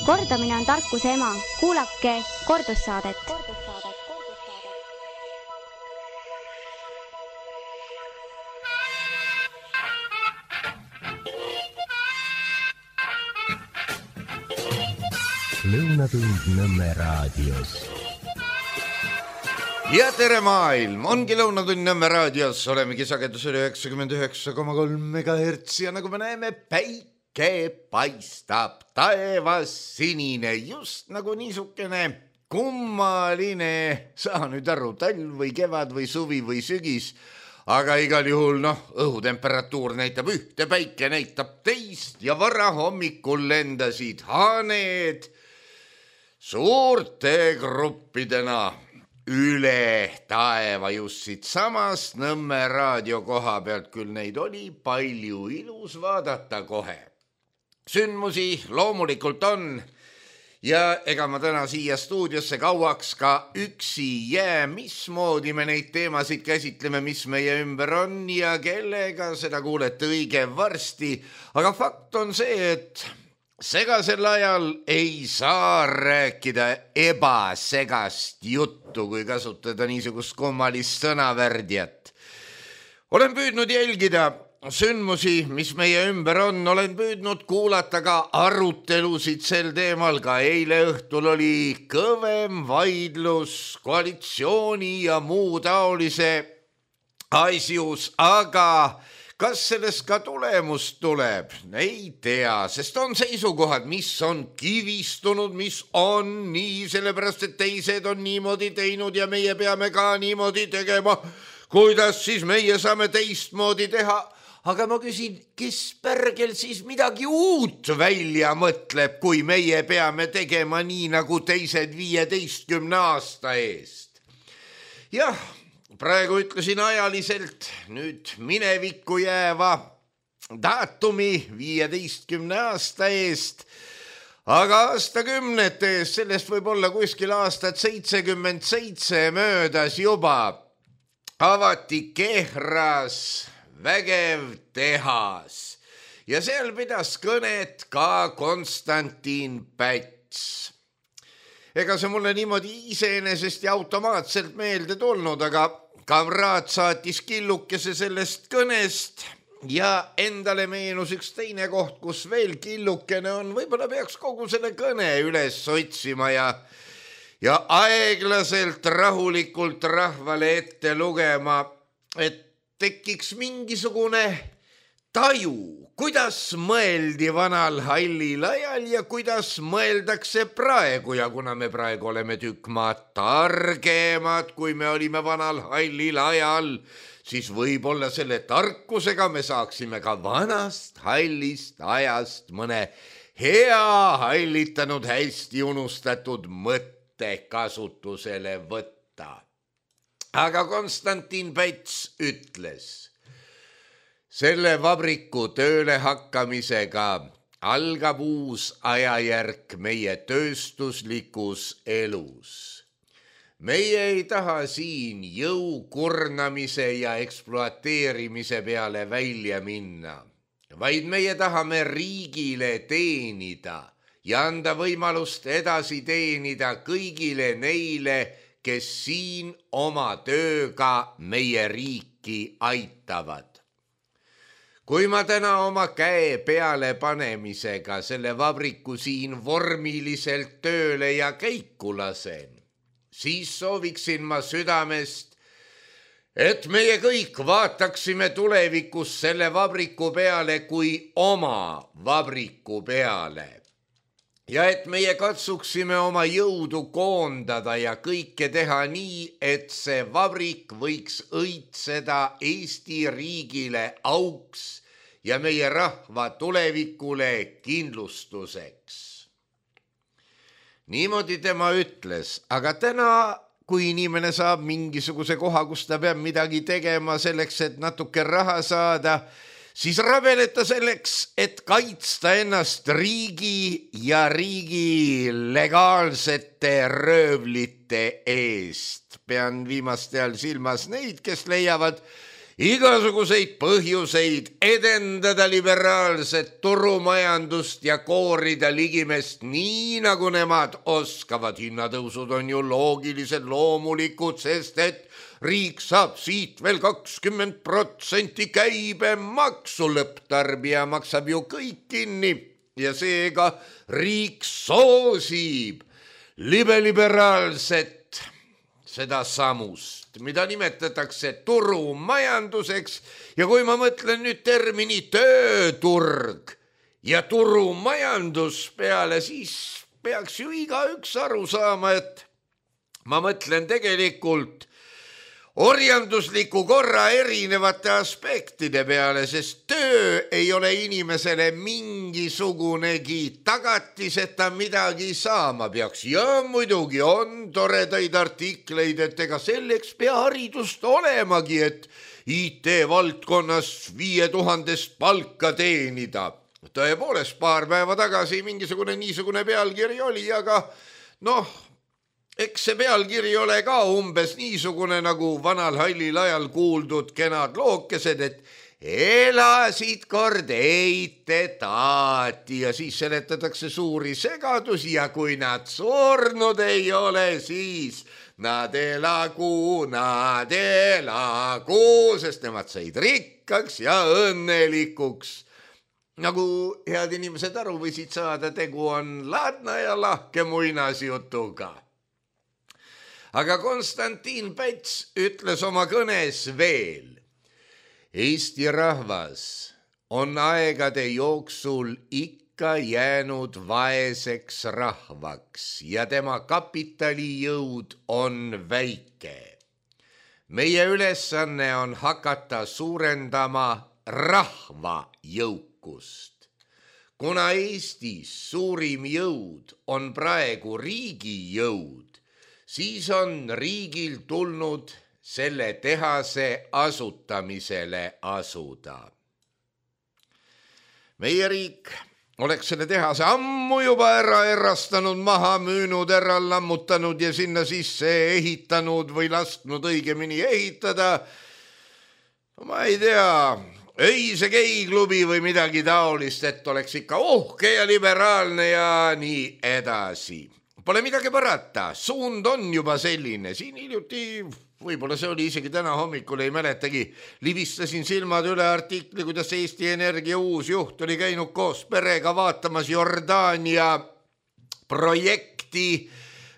Kordamine on tarkuse ema. Kuulake kordussaadet. Lõunatund Nõmme raadios. Ja tere maailm, ongi Lõunatund Nõmme raadios, olemegi sagedusel 99,3 MHz ja nagu me näeme, päike paistab, taevas sinine, just nagu niisugune kummaline, saa nüüd aru, talv või kevad või suvi või sügis, aga igal juhul õhutemperatuur näitab ühte, päike näitab teist ja varahommikul lendasid haaned suurte gruppidena üle taeva just siit samast Nõmme raadio koha pealt, küll neid oli palju, ilus vaadata kohe. Sündmusi loomulikult on ja ega ma täna siia stuudiosse kauaks ka üksi jää, mismoodi me neid teemasid käsitleme, mis meie ümber on ja kellega, seda kuulete õige varsti, aga fakt on see, et segasel ajal ei saa rääkida ebasegast juttu, kui kasutada niisugust kummalist sõnavärdjat. Olen püüdnud jälgida sündmusi, mis meie ümber on, olen püüdnud kuulata ka arutelusid sel teemal, ka eile õhtul oli kõvem vaidlus koalitsiooni ja muu taolise asjus, aga kas sellest ka tulemus tuleb? Ei tea, sest on seisukohad, mis on kivistunud, mis on nii, sellepärast et teised on niimoodi teinud ja meie peame ka niimoodi tegema. Kuidas siis meie saame teistmoodi teha? Aga ma küsin, kes pärgel siis midagi uut välja mõtleb, kui meie peame tegema nii nagu teised 15 aasta eest? Jah, praegu ütlesin ajaliselt nüüd minevikku jääva daatumi 15 aasta eest, aga aastakümnete eest, sellest võib olla kuskil aastat 77 möödas juba, avati Kehras vägev tehas ja seal pidas kõnet ka Konstantin Päts. Ega see mulle niimoodi iseenesest ja automaatselt meelde tulnud, aga kamraad saatis killukese sellest kõnest ja endale meenus üks teine koht, kus veel killukene on. Võib-olla peaks kogu selle kõne üles otsima ja aeglaselt rahulikult rahvale ette lugema, et tekiks mingisugune taju, kuidas mõeldi vanal hallil ajal ja kuidas mõeldakse praegu. Ja kuna me praegu oleme tükk maad targemad, kui me olime vanal hallil ajal, siis võib-olla selle tarkusega me saaksime ka vanast hallist ajast mõne hea hallitanud, hästi unustatud mõtte kasutusele võtta. Aga Konstantin Päts ütles, selle vabriku tööle hakkamisega algab uus ajajärk meie tööstuslikus elus. Meie ei taha siin jõukurnamise ja ekspluateerimise peale välja minna, vaid meie tahame riigile teenida ja anda võimalust edasi teenida kõigile neile, kes siin oma tööga meie riiki aitavad. Kui ma täna oma käe peale panemisega selle vabriku siin vormiliselt tööle ja käiku lasen, siis sooviksin ma südamest, et meie kõik vaataksime tulevikus selle vabriku peale kui oma vabriku peale. Ja et meie katsuksime oma jõudu koondada ja kõike teha nii, et see vabrik võiks õitseda Eesti riigile auks ja meie rahva tulevikule kindlustuseks. Niimoodi tema ütles, aga täna, kui inimene saab mingisuguse koha, kus ta peab midagi tegema selleks, et natuke raha saada, siis rabeleta selleks, et kaitsta ennast riigi ja riigi legaalsete röövlite eest. Pean viimaste all silmas neid, kes leiavad igasuguseid põhjuseid edendada liberaalset turumajandust ja koorida ligimest nii, nagu nemad oskavad. Hinnatõusud on ju loogilised, loomulikud, sest et riik saab siit veel 20% käibemaksu, lõpptarbija maksab ju kõik kinni ja seega riik soosib liberaalset seda samust, mida nimetatakse turumajanduseks. Ja kui ma mõtlen nüüd termini tööturg ja turumajandus peale, siis peaks ju igaüks aru saama, et ma mõtlen tegelikult orjandusliku korra erinevate aspektide peale, sest töö ei ole inimesele mingisugunegi tagatis, et ta midagi saama peaks. Ja muidugi on toredaid artikleid, et ega selleks pea haridust olemagi, et IT-valdkonnas 5000 palka teenida. Tõepoolest, paar päeva tagasi niisugune pealkiri oli, aga eks see pealkiri ole ka umbes niisugune nagu vanal hallil ajal kuuldud kenad lookesed, et elasid kord eitetaati ja siis seletatakse suuri segadusi ja kui nad surnud ei ole, siis nad elagu, sest nemad said rikkaks ja õnnelikuks. Nagu head inimesed aru võisid saada, tegu on laadna ja lahke muinasjutuga. Aga Konstantin Päts ütles oma kõnes veel, Eesti rahvas on aegade jooksul ikka jäänud vaeseks rahvaks ja tema kapitalijõud on väike. Meie ülesanne on hakata suurendama rahva jõukust. Kuna Eestis suurim jõud on praegu riigi jõud, siis on riigil tulnud selle tehase asutamisele asuda. Meie riik oleks selle tehase ammu juba erastanud, maha müünud, ära lammutanud ja sinna sisse ehitanud või lasknud õigemini ehitada. Ma ei tea, öise geiklubi või midagi taolist, et oleks ikka uhke ja liberaalne ja nii edasi. Pole midagi parata, suund on juba selline. Siin hiljuti, võib-olla see oli isegi täna hommikul, ei mäletagi, libistasin silmad üle artikli, kuidas Eesti Energia uus juht oli käinud koos perega vaatamas Jordaania projekti,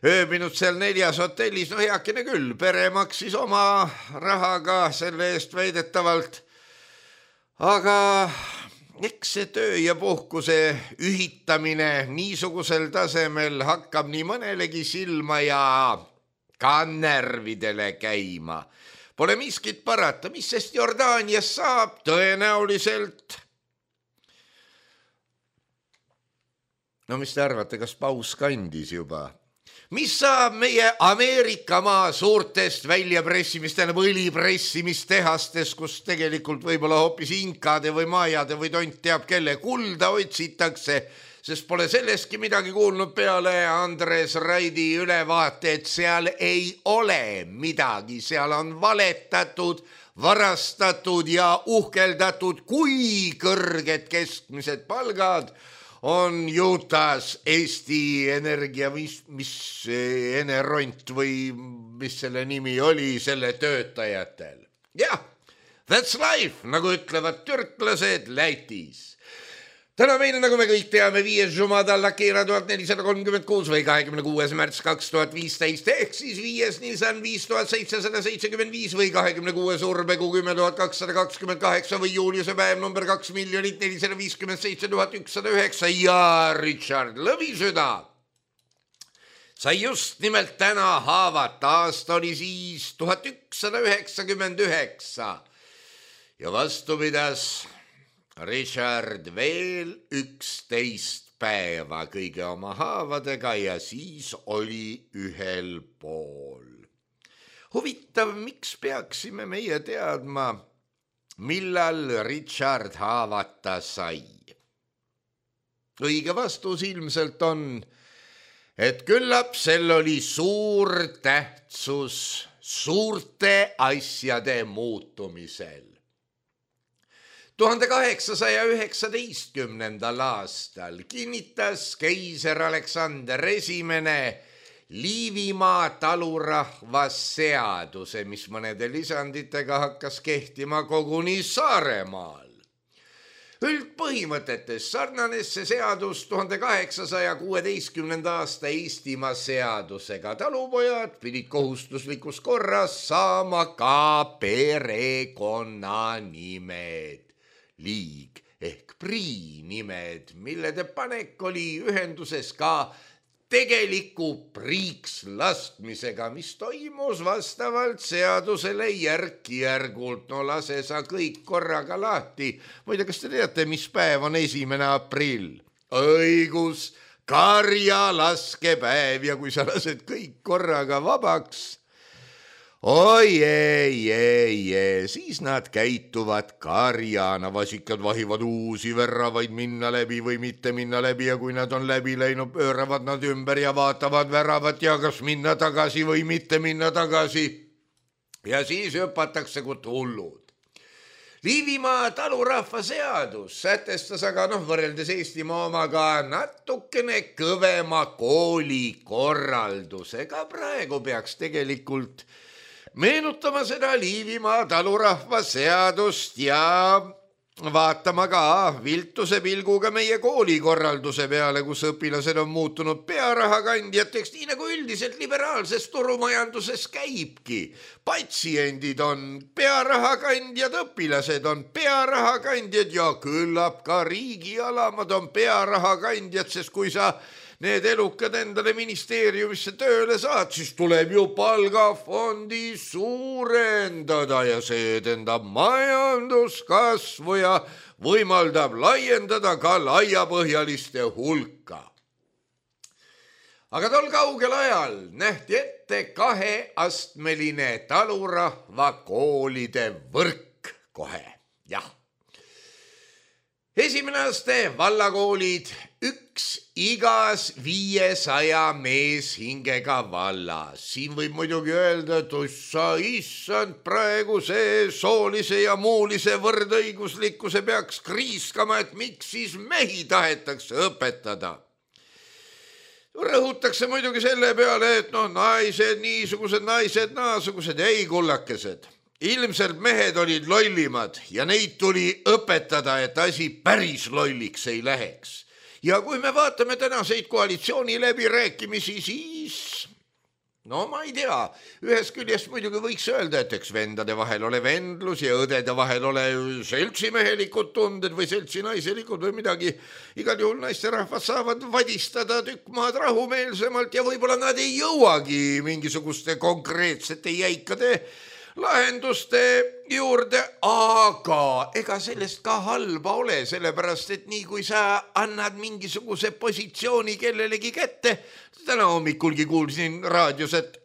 ööbinud seal 4 hotellis. Heakene küll, pere maksis oma rahaga selle eest väidetavalt, aga eks see töö ja puhkuse ühitamine niisugusel tasemel hakkab nii mõnelegi silma ja ka närvidele käima. Pole miskit parata, mis sest Jordaanias saab tõenäoliselt. Mis te arvate, kas paus kandis juba? Mis saab meie Ameerika maa suurtest väljapressimist, õlipressimistehastes, kus tegelikult võib-olla hoopis inkade või majade või tont teab kelle kulda otsitakse, sest pole sellestki midagi kuulnud peale Andres Raidi ülevaate, et seal ei ole midagi, seal on valetatud, varastatud ja uhkeldatud, kui kõrged keskmised palgad on Utah's Eesti Energia, mis Eneront või mis selle nimi oli, selle töötajatel. Jah, that's life, nagu ütlevad türklased Lätis. Täna meile, nagu me kõik teame, 5. Jumada Keera 1436 või 26. märts 2015 ehk siis 5. Nisan 5775 või 26. Urbekuu 10228 või Juliuse päev number 2 457 109 ja Richard Lõvisüda sai just nimelt täna haavata. Aasta oli siis 1199 ja vastu pidas Richard veel 11 päeva kõige oma haavadega ja siis oli ühel pool. Huvitav, miks peaksime meie teadma, millal Richard haavata sai? Õige vastus ilmselt on, et küllap sel oli suur tähtsus suurte asjade muutumisel. 1819. aastal kinnitas keiser Aleksander Esimene Liivimaa talurahvasseaduse, mis mõnede lisanditega hakkas kehtima koguni Saaremaal. Üldpõhimõtetes sarnanes see seadus 1816. aasta Eestimaa seadusega. Talupojad pidid kohustuslikus korras saama ka perekonnanimed, liig ehk priinimed, millede panek oli ühenduses ka tegeliku priiks laskmisega, mis toimus vastavalt seadusele järk-järgult. No lase sa kõik korraga lahti. Muide, kas te teate, mis päev on 1. aprill? Õigus, karjalaskepäev, ja kui sa lased kõik korraga vabaks, oi ei, siis nad käituvad karjana, vasikad vahivad uusi väravaid minna läbi või mitte minna läbi, ja kui nad on läbi läinud, pööravad nad ümber ja vaatavad väravat ja kas minna tagasi või mitte minna tagasi. Ja siis hüpatakse kui hullud. Liivimaa talurahva seadus sätestas aga võrreldes Eestimaa omaga natukene kõvema koolikorraldusega. Praegu peaks tegelikult meenutama seda Liivimaa talurahva seadust ja vaatama ka viltuse pilguga meie koolikorralduse peale, kus õpilased on muutunud pearahakandjateks, nii nagu üldiselt liberaalses turumajanduses käibki. Patsiendid on pearahakandjad, õpilased on pearahakandjad ja küllap ka riigialamad on pearahakandjad, sest kui sa need elukad endale ministeeriumisse tööle saad, siis tuleb ju palgafondi suurendada ja see edendab majanduskasvu ja võimaldab laiendada ka laiapõhjaliste hulka. Aga tol kaugel ajal nähti ette 2-astmeline talurahva koolide võrk kohe, jah. Esimene aste vallakoolid, 1 igas 500 meeshingega vallas. Siin võib muidugi öelda, et issand, praegu see soolise ja muulise võrdõiguslikkuse peaks kriiskama, et miks siis mehi tahetakse õpetada. Rõhutakse muidugi selle peale, et naised niisugused, naised naasugused, ei kullakesed. Ilmselt mehed olid lollimad ja neid tuli õpetada, et asi päris lolliks ei läheks. Ja kui me vaatame tänaseid koalitsiooni läbirääkimisi, siis ma ei tea, ühest küljest muidugi võiks öelda, et eks vendade vahel ole vendlus ja õdede vahel ole seltsimehelikud tunded või seltsinaiselikud või midagi. Igal juhul naisterahvad saavad vadistada tükk maad rahumeelsemalt ja võib-olla nad ei jõuagi mingisuguste konkreetsete jäikade lahenduste juurde, aga ega sellest ka halba ole, sellepärast et nii kui sa annad mingisuguse positsiooni kellelegi kätte, täna hommikulgi kuulsin raadios, et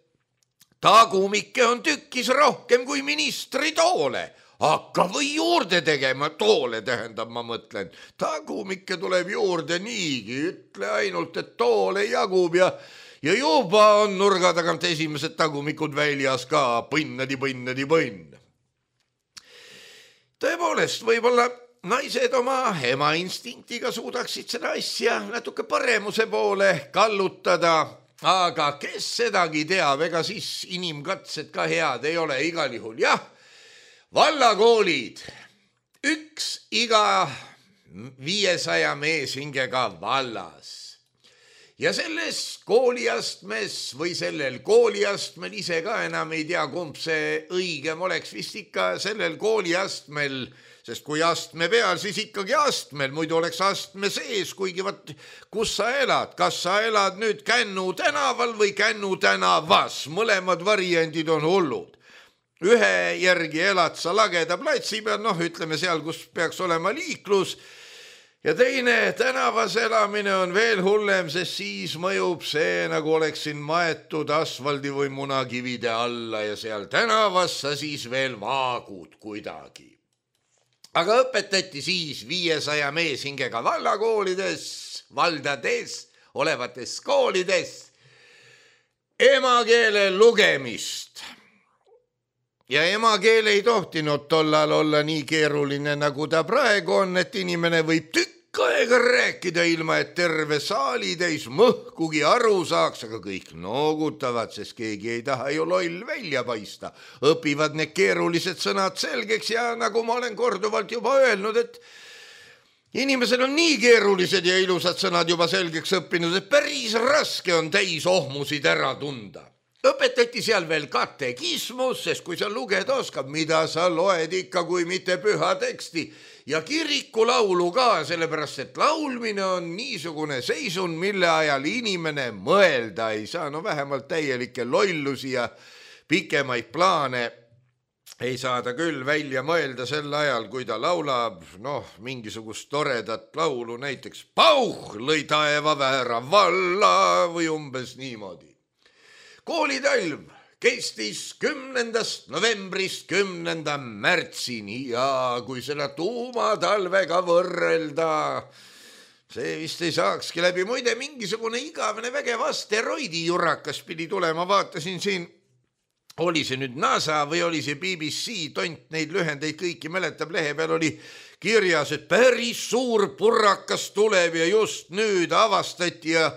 tagumikke on tükkis rohkem kui ministri toole. Hakka või juurde tegema, toole tähendab, ma mõtlen. Tagumikke tuleb juurde niigi, ütle ainult, et toole jagub ja juba on nurga tagant esimesed tagumikud väljas ka, põnnadi. Tõepoolest, võib-olla naised oma ema instinktiga suudaksid seda asja natuke paremuse poole kallutada, aga kes sedagi teab, ega siis inimkatsed ka head ei ole igal juhul. Jah, vallakoolid, 1 iga 500 meeshingega vallas. Ja selles kooliastmes või sellel kooliastmel, ise ka enam ei tea, kumb see õigem oleks, vist ikka sellel kooliastmel, sest kui astme peal, siis ikkagi astmel, muidu oleks astme sees, kuigi kus sa elad, kas sa elad nüüd Kännu tänaval või Kännu tänavas, mõlemad variandid on hullud. Ühe järgi elad sa Lageda platsi peal, ütleme seal, kus peaks olema liiklus, ja teine tänavas elamine on veel hullem, sest siis mõjub see, nagu oleksin maetud asfaldi või munakivide alla ja seal tänavas sa siis veel vaagud kuidagi. Aga õpetati siis 500 meeshingega vallakoolides, valdades, olevates koolides emakeele lugemist. ja emakeel ei tohtinud tollal olla nii keeruline, nagu ta praegu on, et inimene võib tükk aega rääkida ilma, et terve saali täis mõhkugi aru saaks, aga kõik noogutavad, sest keegi ei taha ju loll välja paista. Õpivad need keerulised sõnad selgeks ja nagu ma olen korduvalt juba öelnud, et inimesel on nii keerulised ja ilusad sõnad juba selgeks õppinud, et päris raske on täis ohmusid ära tunda. Õpetati seal veel katekismus, sest kui sa lugeda oskab, mida sa loed ikka, kui mitte püha teksti, ja kirikulaulu ka, sellepärast et laulmine on niisugune seisund, mille ajal inimene mõelda ei saa, no vähemalt täielikke lollusi ja pikemaid plaane ei saa ta küll välja mõelda sel ajal, kui ta laulab mingisugust toredat laulu, näiteks Pauh lõi taeva väära valla või umbes niimoodi. Koolitalv kestis 10. novembrist 10. märtsini ja kui seda tuumatalvega võrrelda, see vist ei saakski läbi. Muide, mingisugune igavene vägev asteroidi jurakas pidi tulema, vaatasin siin, oli see nüüd NASA või oli see BBC, tont neid lühendeid kõiki mäletab, lehe peal oli kirjas, et päris suur purrakas tuleb ja just nüüd avastati ja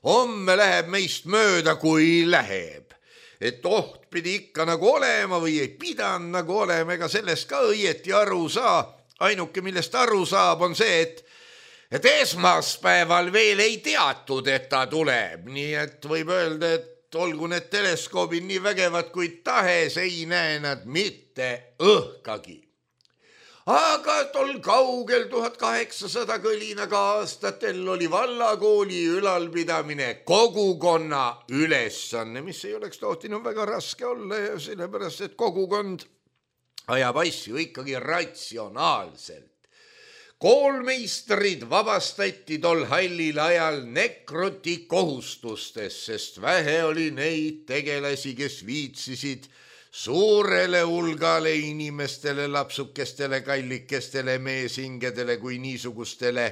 homme läheb meist mööda, kui läheb. Et oht pidi ikka nagu olema või ei pidanud nagu olema, ega sellest ka õieti aru saa. Ainuke, millest aru saab, on see, et esmaspäeval veel ei teatud, et ta tuleb. Nii et võib öelda, et olgu need teleskoobid nii vägevad kui tahes, ei näe nad mitte õhkagi. Aga tol kaugel 1800 kõlinaga aastatel oli vallakooli ülalpidamine kogukonna ülesanne, mis ei oleks tohtinud väga raske olla ja sellepärast, et kogukond ajab asju ikkagi ratsionaalselt. Koolmeistrid vabastati tol hallil ajal nekruti kohustustest, sest vähe oli neid tegelasi, kes viitsisid suurele hulgale inimestele, lapsukestele, kallikestele, meeshingedele kui niisugustele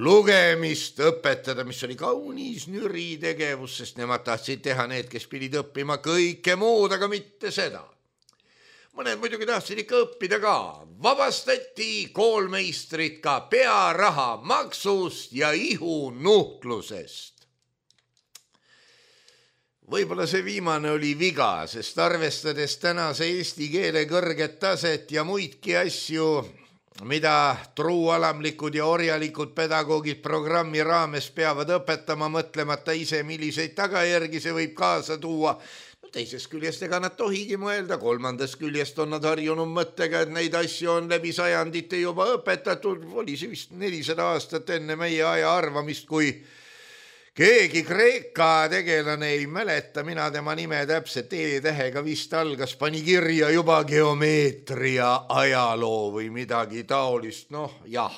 lugemist õpetada, mis oli kaunis nüri tegevus, sest nemad tahtsid teha need, kes pidid õppima kõike muud, aga mitte seda. Mõned muidugi tahtsid ikka õppida ka. Vabastati koolmeistrid ka pearaha maksust ja ihunuhtlusest. Võib-olla see viimane oli viga, sest arvestades tänase eesti keele kõrget taset ja muidki asju, mida truualamlikud ja orjalikud pedagoogid programmi raames peavad õpetama, mõtlemata ise, milliseid tagajärgi see võib kaasa tuua. Teisest küljest ega nad tohigi mõelda, kolmandast küljest on nad harjunud mõttega, et neid asju on läbi sajandite juba õpetatud. Oli see vist 400 aastat enne meie aja arvamist, kui keegi Kreeka tegelane, ei mäleta mina tema nime täpselt, E-tähega vist algas, pani kirja juba geomeetria ajaloo või midagi taolist. Jah,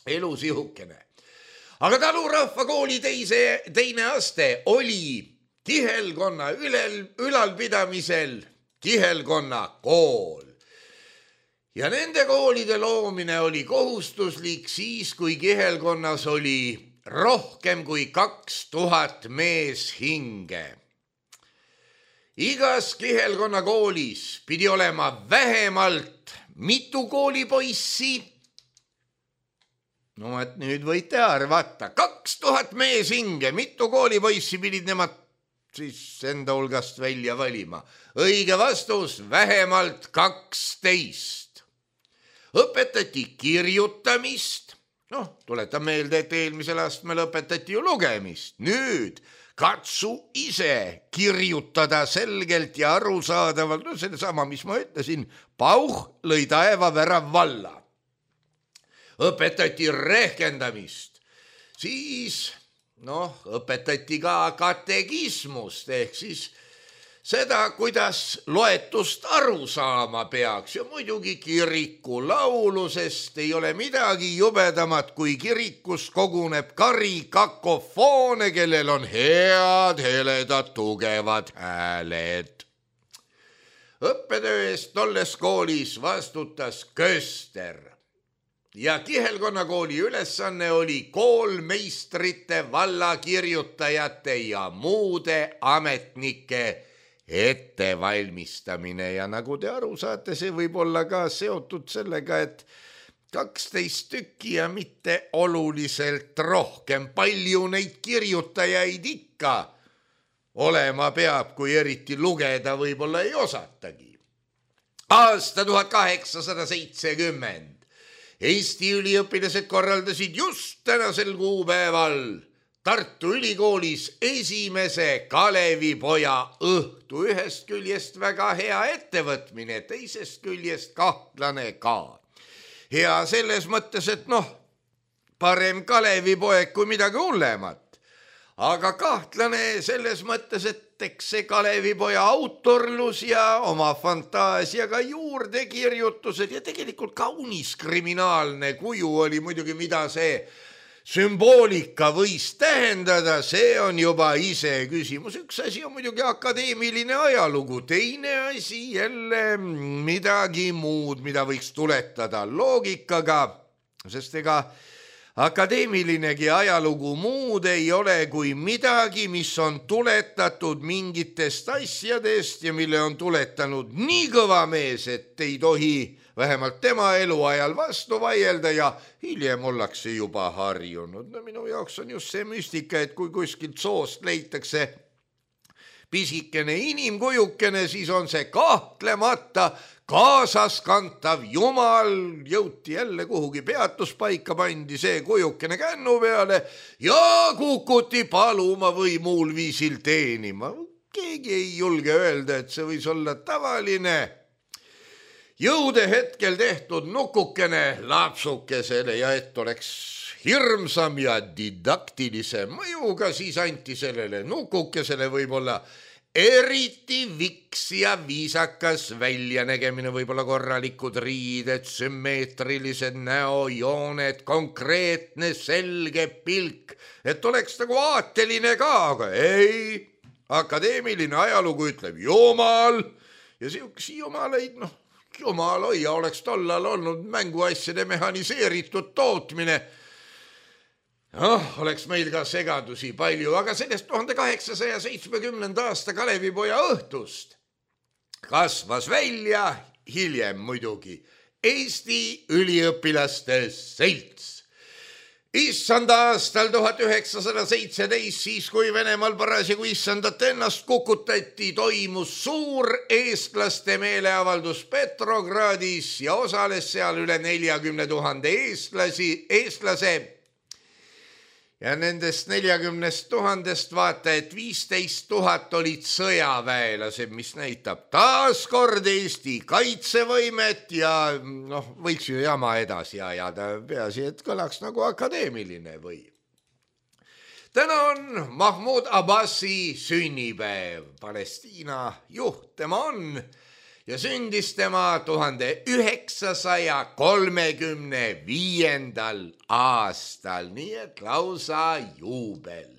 elu sihukene. Aga Talurahva kooli teine aste oli kihelkonna ülalpidamisel kihelkonna kool. Ja nende koolide loomine oli kohustuslik siis, kui kihelkonnas oli rohkem kui 2000 meeshinge. Igas kihelkonna koolis pidi olema vähemalt mitu koolipoissi. Et nüüd võite arvata, 2000 meeshinge, mitu koolipoissi pidid nemad siis enda hulgast välja valima. Õige vastus, vähemalt 12. Õpetati kirjutamist. Tuletan meelde, et eelmisel astmel õpetati ju lugemist. Nüüd katsu ise kirjutada selgelt ja arusaadavalt, selle sama, mis ma ütlesin, Pauh lõi taeva värav valla. Õpetati rehkendamist, siis õpetati ka katekismust ehk siis seda, kuidas loetust aru saama peaks ja muidugi kirikulaulu, sest ei ole midagi jubedamat, kui kirikus koguneb kari kakofoone, kellel on head, heledad, tugevad hääled. Õppetöö eest tolles koolis vastutas köster ja kihelkonnakooli ülesanne oli koolmeistrite, vallakirjutajate ja muude ametnike ettevalmistamine ja nagu te aru saate, see võib olla ka seotud sellega, et 12 tükki ja mitte oluliselt rohkem. Palju neid kirjutajaid ikka olema peab, kui eriti lugeda võib-olla ei osatagi. Aasta 1870. Eesti üliõpilased korraldasid just tänasel kuupäeval Tartu Ülikoolis esimese Kalevipoja õhtu. Ühest küljest väga hea ettevõtmine, teisest küljest kahtlane ka. Hea selles mõttes, et parem Kalevipoeg kui midagi hullemat. Aga kahtlane selles mõttes, et eks see Kalevipoja autorlus ja oma fantaasiaga juurdekirjutused ja tegelikult kaunis kriminaalne kuju oli muidugi, mida see sümboolika võis tähendada, see on juba ise küsimus. Üks asi on muidugi akadeemiline ajalugu, teine asi jälle midagi muud, mida võiks tuletada loogikaga, sest ega akadeemilinegi ajalugu muud ei ole kui midagi, mis on tuletatud mingitest asjadest ja mille on tuletanud nii kõva mees, et ei tohi vähemalt tema eluajal vastu vaielda ja hiljem ollakse juba harjunud. Minu jaoks on just see müstika, et kui kuskilt soost leitakse pisikene inimkujukene, siis on see kahtlemata kaasaskantav jumal. Jõuti jälle kuhugi peatuspaika, pandi see kujukene kännu peale ja kukuti paluma või muul viisil teenima. Keegi ei julge öelda, et see võis olla tavaline jõude hetkel tehtud nukukene lapsukesele ja et oleks hirmsam ja didaktilise mõjuga, siis anti sellele nukukesele võib-olla eriti viks ja viisakas väljanägemine, võib-olla korralikud riided, sümmeetrilised näojooned, konkreetne selge pilk, et oleks nagu aateline ka, aga ei, akadeemiline ajalugu ütleb jumal ja siukesi jumaleid, jumal hoia, oleks tollal olnud mänguasjade mehaniseeritud tootmine. Oleks meil ka segadusi palju, aga sellest 1870. aasta Kalevipoja õhtust kasvas välja hiljem muidugi Eesti üliõpilaste selts. Issanda aastal 1917, siis kui Venemaal parasjagu issandat ennast kukutati, toimus suur eestlaste meeleavaldus Petrogradis ja osales seal üle 40 000 eestlase. Ja nendest 40 000 vaata, et 15 000 olid sõjaväelased, mis näitab taaskord Eesti kaitsevõimet ja võiks ju jama edasi ajada, peaasi, et kõlaks nagu akadeemiline või. Täna on Mahmoud Abbasi sünnipäev, Palestiina juht tema on ja sündis tema 1935. aastal, nii et lausa juubel.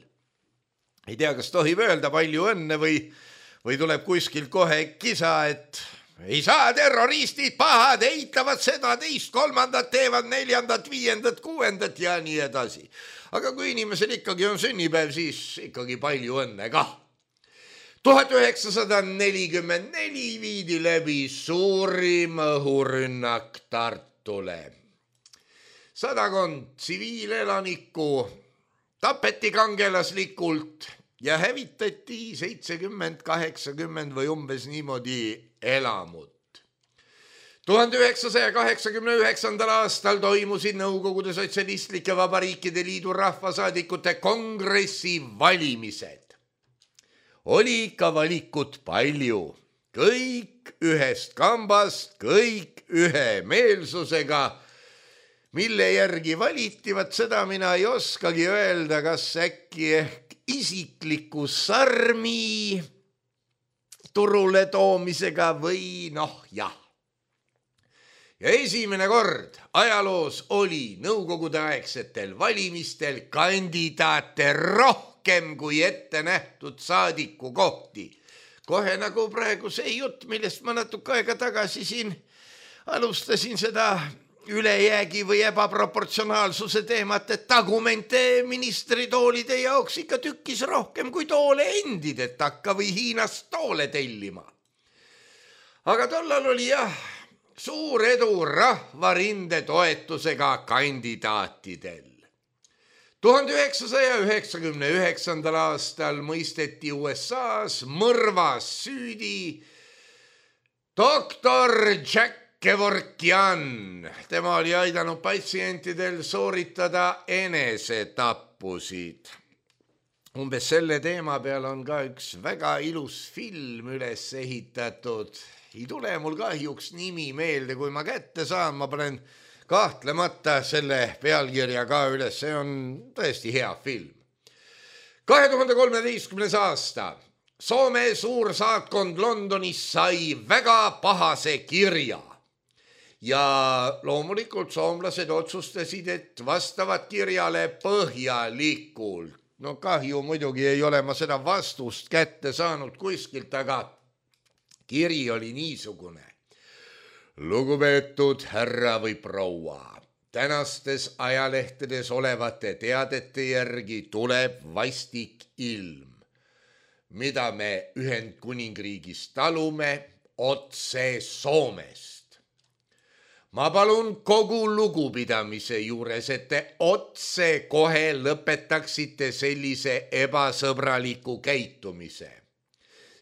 Ei tea, kas tohib öelda palju õnne või tuleb kuskil kohe kisa, et ei saa terroristid pahad, eitavad seda, teist, kolmandat, teevad neljandat, viiendat, kuuendat ja nii edasi. Aga kui inimesel ikkagi on sünnipäev, siis ikkagi palju õnne kah. 1944 viidi läbi suurim õhurünnak Tartule. 100 tsiviilelanikku tapeti kangelaslikult ja hävitati 70-80 või umbes niimoodi elamut. 1989. aastal toimusid Nõukogude Sotsialistlike Vabariikide Liidu rahvasaadikute kongressi valimised. Oli ikka valikut palju, kõik ühest kambast, kõik ühe meelsusega, mille järgi valiti, vaat seda mina ei oskagi öelda, kas äkki ehk isikliku sarmi turule toomisega või jah. Ja esimene kord ajaloos oli nõukogude aegsetel valimistel kandidaate rohkem kui ette nähtud saadiku kohti. Kohe nagu praegu see jutt, millest ma natuke aega tagasi siin alustasin seda ülejäägi või ebaproportsionaalsuse teemat, et tagumente ministritoolide jaoks ikka tükkis rohkem kui toole endid, et hakka või Hiinast toole tellima. Aga tollal oli suur edu rahvarinde toetusega kandidaatidel. 1999. aastal mõisteti USA's mõrvas süüdi doktor Jack Kevorkian. Tema oli aidanud patsientidel sooritada enesetappusid. Umbes selle teema peal on ka üks väga ilus film üles ehitatud. Ei tule mul kahjuks nimi meelde, kui ma kätte saan, ma panen kahtlemata selle pealkirja ka üles, see on tõesti hea film. 2013. aasta Soome suursaatkond Londonis sai väga pahase kirja ja loomulikult soomlased otsustasid, et vastavad kirjale põhjalikult. No kahju muidugi ei ole ma seda vastust kätte saanud kuskilt, aga kiri oli niisugune. Lugupeetud härra või proua, tänastes ajalehtedes olevate teadete järgi tuleb vastik ilm, mida me Ühendkuningriigis talume otse Soomest. Ma palun kogu lugupidamise juures, et te otse kohe lõpetaksite sellise ebasõbraliku käitumise.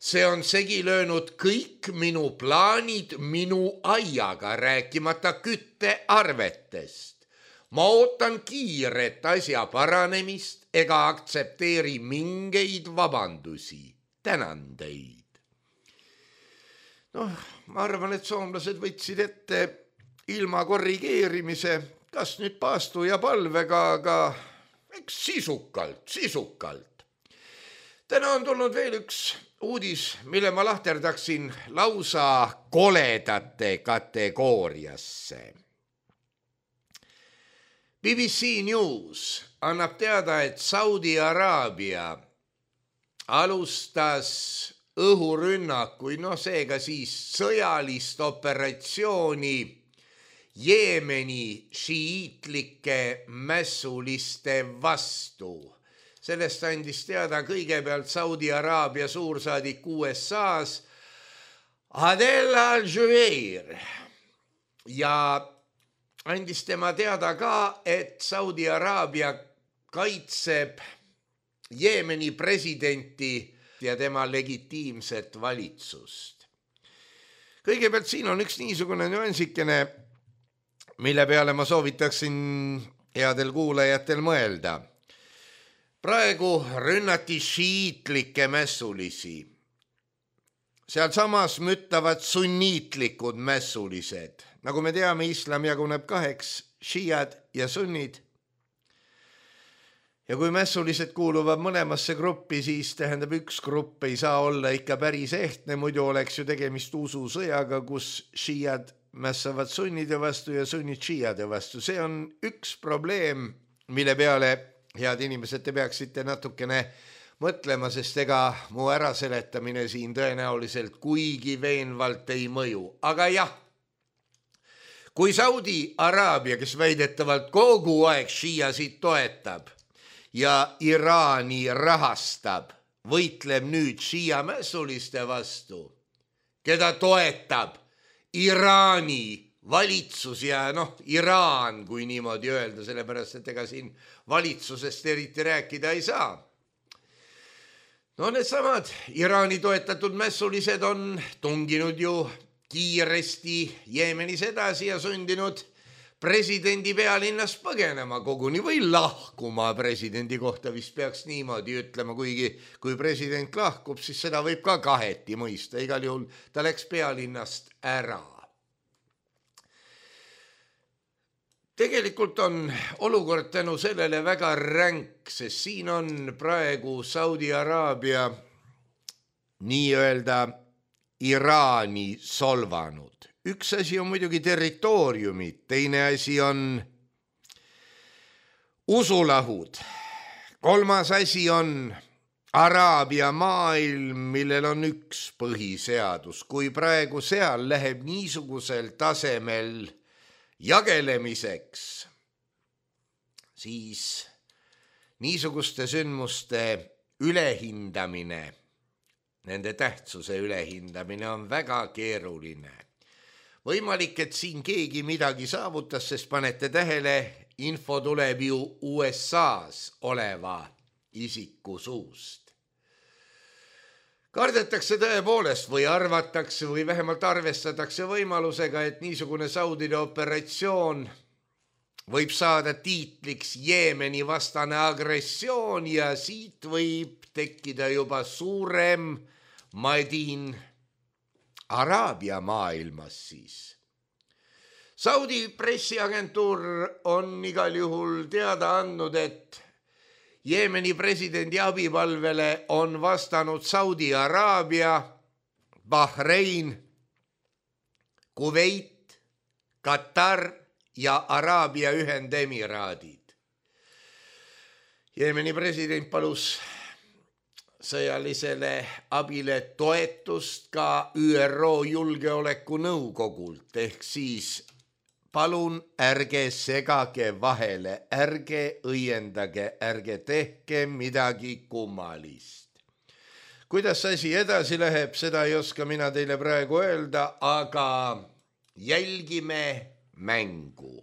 See on segi löönud kõik minu plaanid minu aiaga, rääkimata küttearvetest. Ma ootan kiiret asja paranemist ega aktsepteeri mingeid vabandusi. Tänan teid. Ma arvan, et soomlased võtsid ette ilma korrigeerimise, kas nüüd paastu ja palvega, aga eks sisukalt. Täna on tulnud veel üks uudis, mille ma lahterdaksin lausa koledate kategooriasse. BBC News annab teada, et Saudi Araabia alustas õhurünnakuid, seega siis sõjalist operatsiooni Jeemeni šiiitlike mässuliste vastu. Sellest andis teada kõigepealt Saudi Araabia suursaadik USA's Adel Al-Jubeir ja andis tema teada ka, et Saudi Araabia kaitseb Jeemeni presidenti ja tema legitiimset valitsust. Kõigepealt siin on üks niisugune nüansikene, mille peale ma soovitaksin headel kuulajatel mõelda. Praegu rünnati šiiitlikke mässulisi. Seal samas müttavad sunniitlikud mässulised. Nagu me teame, islam jaguneb kaheks, šiiad ja sunnid. Ja kui mässulised kuuluvad mõlemasse gruppi, siis tähendab üks grupp ei saa olla ikka päris ehtne, muidu oleks ju tegemist ususõjaga, kus šiiad mässavad sunnide vastu ja sunnid šiiade vastu. See on üks probleem, mille peale, head inimesed, te peaksite natukene mõtlema, sest ega mu äraseletamine siin tõenäoliselt kuigi veenvalt ei mõju. Aga jah, kui Saudi Araabia, kes väidetavalt kogu aeg šiiasid toetab ja Iraani rahastab, võitleb nüüd šiia mässuliste vastu, keda toetab Iraani valitsus ja Iraan, kui niimoodi öelda, sellepärast, et ega siin valitsusest eriti rääkida ei saa. Needsamad Iraani toetatud mässulised on tunginud ju kiiresti Jeemenis edasi ja sundinud presidendi pealinnast põgenema koguni või lahkuma. Presidendi kohta vist peaks niimoodi ütlema, kuigi kui president lahkub, siis seda võib ka kaheti mõista. Igal juhul ta läks pealinnast ära. Tegelikult on olukord tänu sellele väga ränk, sest siin on praegu Saudi Araabia nii-öelda Iraani solvanud. Üks asi on muidugi territooriumid, teine asi on usulahud. Kolmas asi on Araabia maailm, millel on üks põhiseadus. Kui praegu seal läheb niisugusel tasemel jagelemiseks, siis niisuguste sündmuste ülehindamine, nende tähtsuse ülehindamine on väga keeruline. Võimalik, et siin keegi midagi saavutas, sest panete tähele, info tuleb ju USAs oleva isiku suust. Kardetakse tõepoolest või arvatakse või vähemalt arvestatakse võimalusega, et niisugune Saudide operatsioon võib saada tiitliks Jeemeni vastane agressioon ja siit võib tekkida juba suurem madin Araabia maailmas siis. Saudi pressiagentuur on igal juhul teada andnud, et Jeemeni presidendi abipalvele on vastanud Saudi Araabia, Bahrein, Kuveit, Katar ja Araabia Ühendemiraadid. Jeemeni president palus sõjalisele abile toetust ka ÜRO Julgeolekunõukogult, ehk siis palun ärge segage vahele, ärge õiendage, ärge tehke midagi kummalist. Kuidas asi edasi läheb, seda ei oska mina teile praegu öelda, aga jälgime mängu.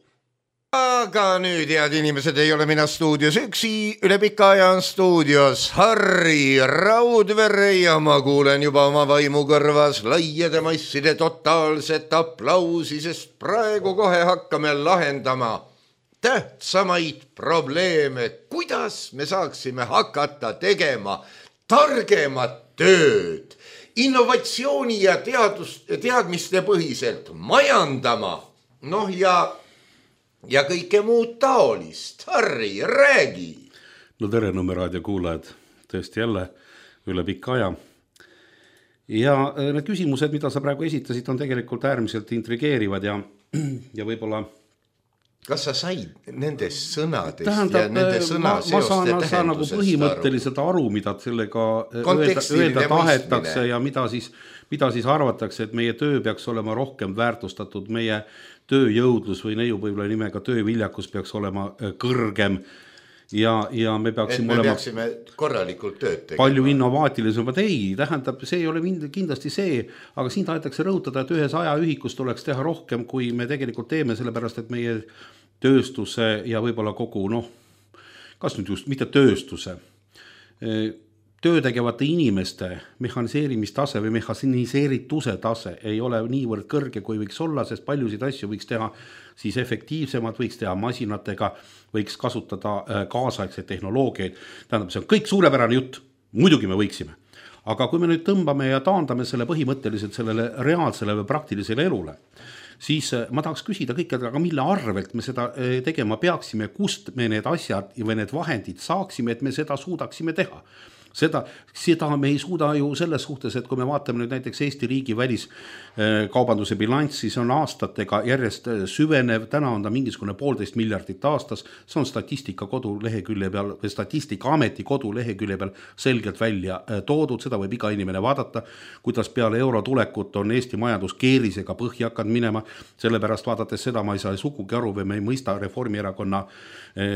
Aga nüüd, head inimesed, ei ole mina stuudios üksi, üle pika aja on stuudios Harri Raudvere ja ma kuulen juba oma vaimu kõrvas laiade masside totaalset aplausi, sest praegu kohe hakkame lahendama tähtsamaid probleeme, kuidas me saaksime hakata tegema targemat tööd, innovatsiooni ja teadmiste põhiselt majandama, ja kõike muud taolist. Harri, räägi! No tere, Nõmmeraadio kuulajad, tõesti jälle üle pikka aja. Ja need küsimused, mida sa praegu esitasid, on tegelikult äärmiselt intrigeerivad ja võib-olla... Kas sa said nendest sõnadest ja nende sõnaseoste tähendusest? Ma saan nagu põhimõtteliselt aru, mida sellega öelda tahetakse ja mida siis arvatakse, et meie töö peaks olema rohkem väärtustatud, meie tööjõudlus või neiu võib-olla nimega tööviljakus peaks olema kõrgem ja me peaksime korralikult tööd tegema. Palju innovaatilisemad. Ei, tähendab, see ei ole kindlasti see, aga siin tahetakse rõhutada, et ühes ajaühikus tuleks teha rohkem, kui me tegelikult teeme, sellepärast, et meie tööstuse ja võib-olla kogu, kas nüüd just, mitte tööstuse, töötegevate inimeste mehhaniseerimistase või mehhaniseerituse tase ei ole niivõrd kõrge, kui võiks olla, sest paljusid asju võiks teha siis efektiivsemad, võiks teha masinatega, võiks kasutada kaasaegseid tehnoloogiaid. Tähendab, see on kõik suurepärane jutt, muidugi me võiksime. Aga kui me nüüd tõmbame ja taandame selle põhimõtteliselt sellele reaalsele või praktilisele elule, siis ma tahaks küsida kõikidega, aga mille arvelt me seda tegema peaksime, kust me need asjad või need vahendid saaksime, et me seda suudaksime teha. Seda me ei suuda ju selles suhtes, et kui me vaatame nüüd näiteks Eesti riigi väliskaubanduse bilanss, siis on aastatega järjest süvenev, täna on ta mingisugune 1,5 miljardit aastas, see on Statistika Ameti kodulehekülje peal selgelt välja toodud, seda võib iga inimene vaadata, kuidas peale euro tulekut on Eesti majandus keerisega põhja hakanud minema, sellepärast vaadates seda ma ei saa sugugi aru või me ei mõista Reformierakonna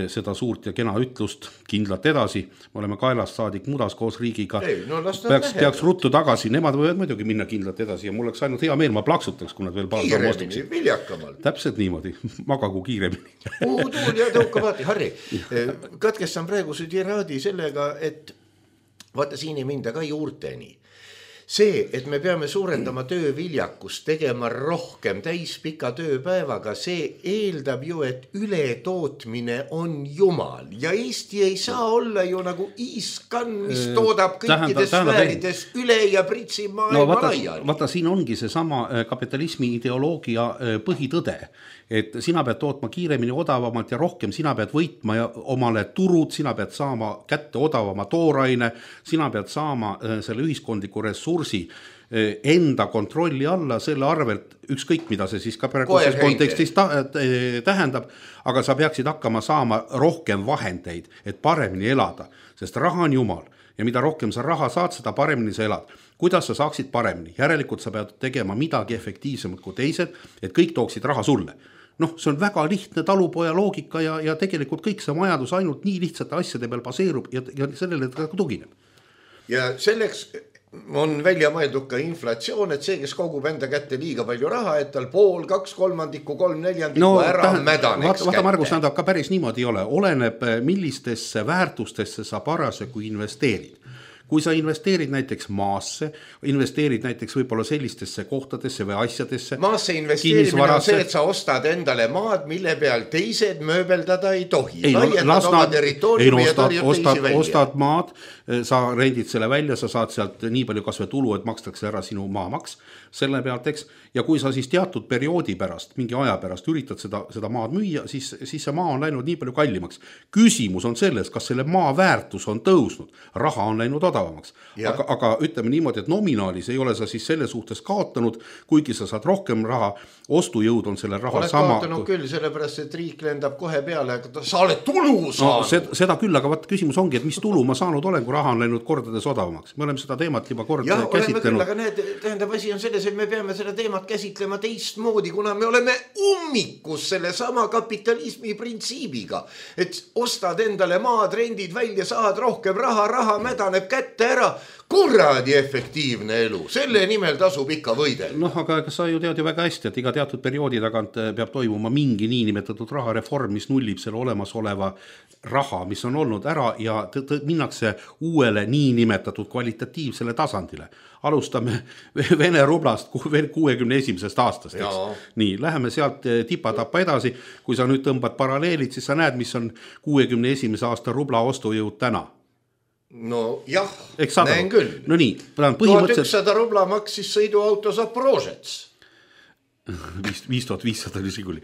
seda suurt ja kena ütlust kindlalt edasi, me oleme kaelast saadik mudas koos riigiga, peaks ruttu tagasi, nemad võivad muidugi minna kindlalt edasi ja mul oleks ainult hea meel, ma plaksutaks, kui nad veel paar kiiremini, viljakamalt. Täpselt niimoodi, magagu kiiremini. Tuul ja tõukavaati, Harri, katkestan praegu su tiraadi sellega, et vaata siin ei minda ka juurteni. See, et me peame suurendama tööviljakust, tegema rohkem täispika tööpäevaga, see eeldab ju, et ületootmine on jumal. Ja Eesti ei saa olla ju nagu Iiskan, mis toodab kõikides sfäärides üle ja pritsib maailma laiali. Vaata, siin ongi see sama kapitalismi ideoloogia põhitõde, et sina pead tootma kiiremini, odavamalt ja rohkem, sina pead võitma ja omale turud, sina pead saama kätte odavama tooraine, sina pead saama selle ühiskondliku ressursi enda kontrolli alla, selle arvelt ükskõik, mida see siis ka praeguses kontekstis tähendab, aga sa peaksid hakkama saama rohkem vahendeid, et paremini elada, sest raha on jumal ja mida rohkem sa raha saad, seda paremini sa elad. Kuidas sa saaksid paremini? Järelikult sa pead tegema midagi efektiivsemalt kui teised, et kõik tooksid raha sulle. noh, see on väga lihtne talupoja loogika ja tegelikult kõik see majandus ainult nii lihtsate asjade peal baseerub ja sellele ta tugineb. Ja selleks on välja mõeldud ka inflatsioon, et see, kes kogub enda kätte liiga palju raha, et tal pool, 2/3, 3/4 ära mädaneks vaata, Margus, nad ka päris niimoodi ei ole. Oleneb, millistesse väärtustesse sa parasjagu investeerid. Kui sa investeerid näiteks maasse, investeerid näiteks võib-olla sellistesse kohtadesse või asjadesse. Maasse investeerimine on see, et sa ostad endale maad, mille peal teised mööbeldada ei tohi. Laiendad oma territooriumi ja tarjud teisi välja. Ostad maad, sa rendid selle välja, sa saad sealt nii palju kasve tulu, et makstakse ära sinu maamaks selle pealt, eks. Ja kui sa siis teatud perioodi pärast, mingi aja pärast üritad seda maad müüa, siis see maa on läinud nii palju kallimaks. Küsimus on selles, kas selle maa väärtus on tõusnud. Raha on läinud odavamaks. Aga ütleme niimoodi, et nominaalis ei ole sa siis selle suhtes kaotanud, kuigi sa saad rohkem raha, ostujõud on selle raha oled sama. Oled kaotanud küll, sellepärast, et riik lendab kohe peale, sa oled tulu saanud. No, seda küll, aga vaat küsimus ongi, et mis tulu ma saanud olen, kui raha on läinud kordades odavamaks. Me oleme seda teemat juba kord käsitlenud. Aga tähendab, asi on selles, et me peame seda teemat käsitlema teistmoodi, kuna me oleme ummikus selle sama kapitalismi printsiibiga, et ostad endale maad, rendid välja, saad rohkem raha mädaneb kätte ära, kuradi efektiivne elu, selle nimel tasub ikka võidel. Noh, aga sa ju tead ju väga hästi, et iga teatud perioodi tagant peab toimuma mingi niinimetatud rahareform, mis nullib selle olemasoleva raha, mis on olnud ära ja minnakse uuele niinimetatud kvalitatiivsele tasandile. Alustame Vene rublast 61. aastast. Nii, läheme sealt tipa-tapa edasi. Kui sa nüüd tõmbad paralleelid, siis sa näed, mis on 61. aasta rubla ostujõud täna. No jah, näen küll. No nii, 1100 rubla maksis sõiduauto Zaporožets. 5500 oli Žiguli.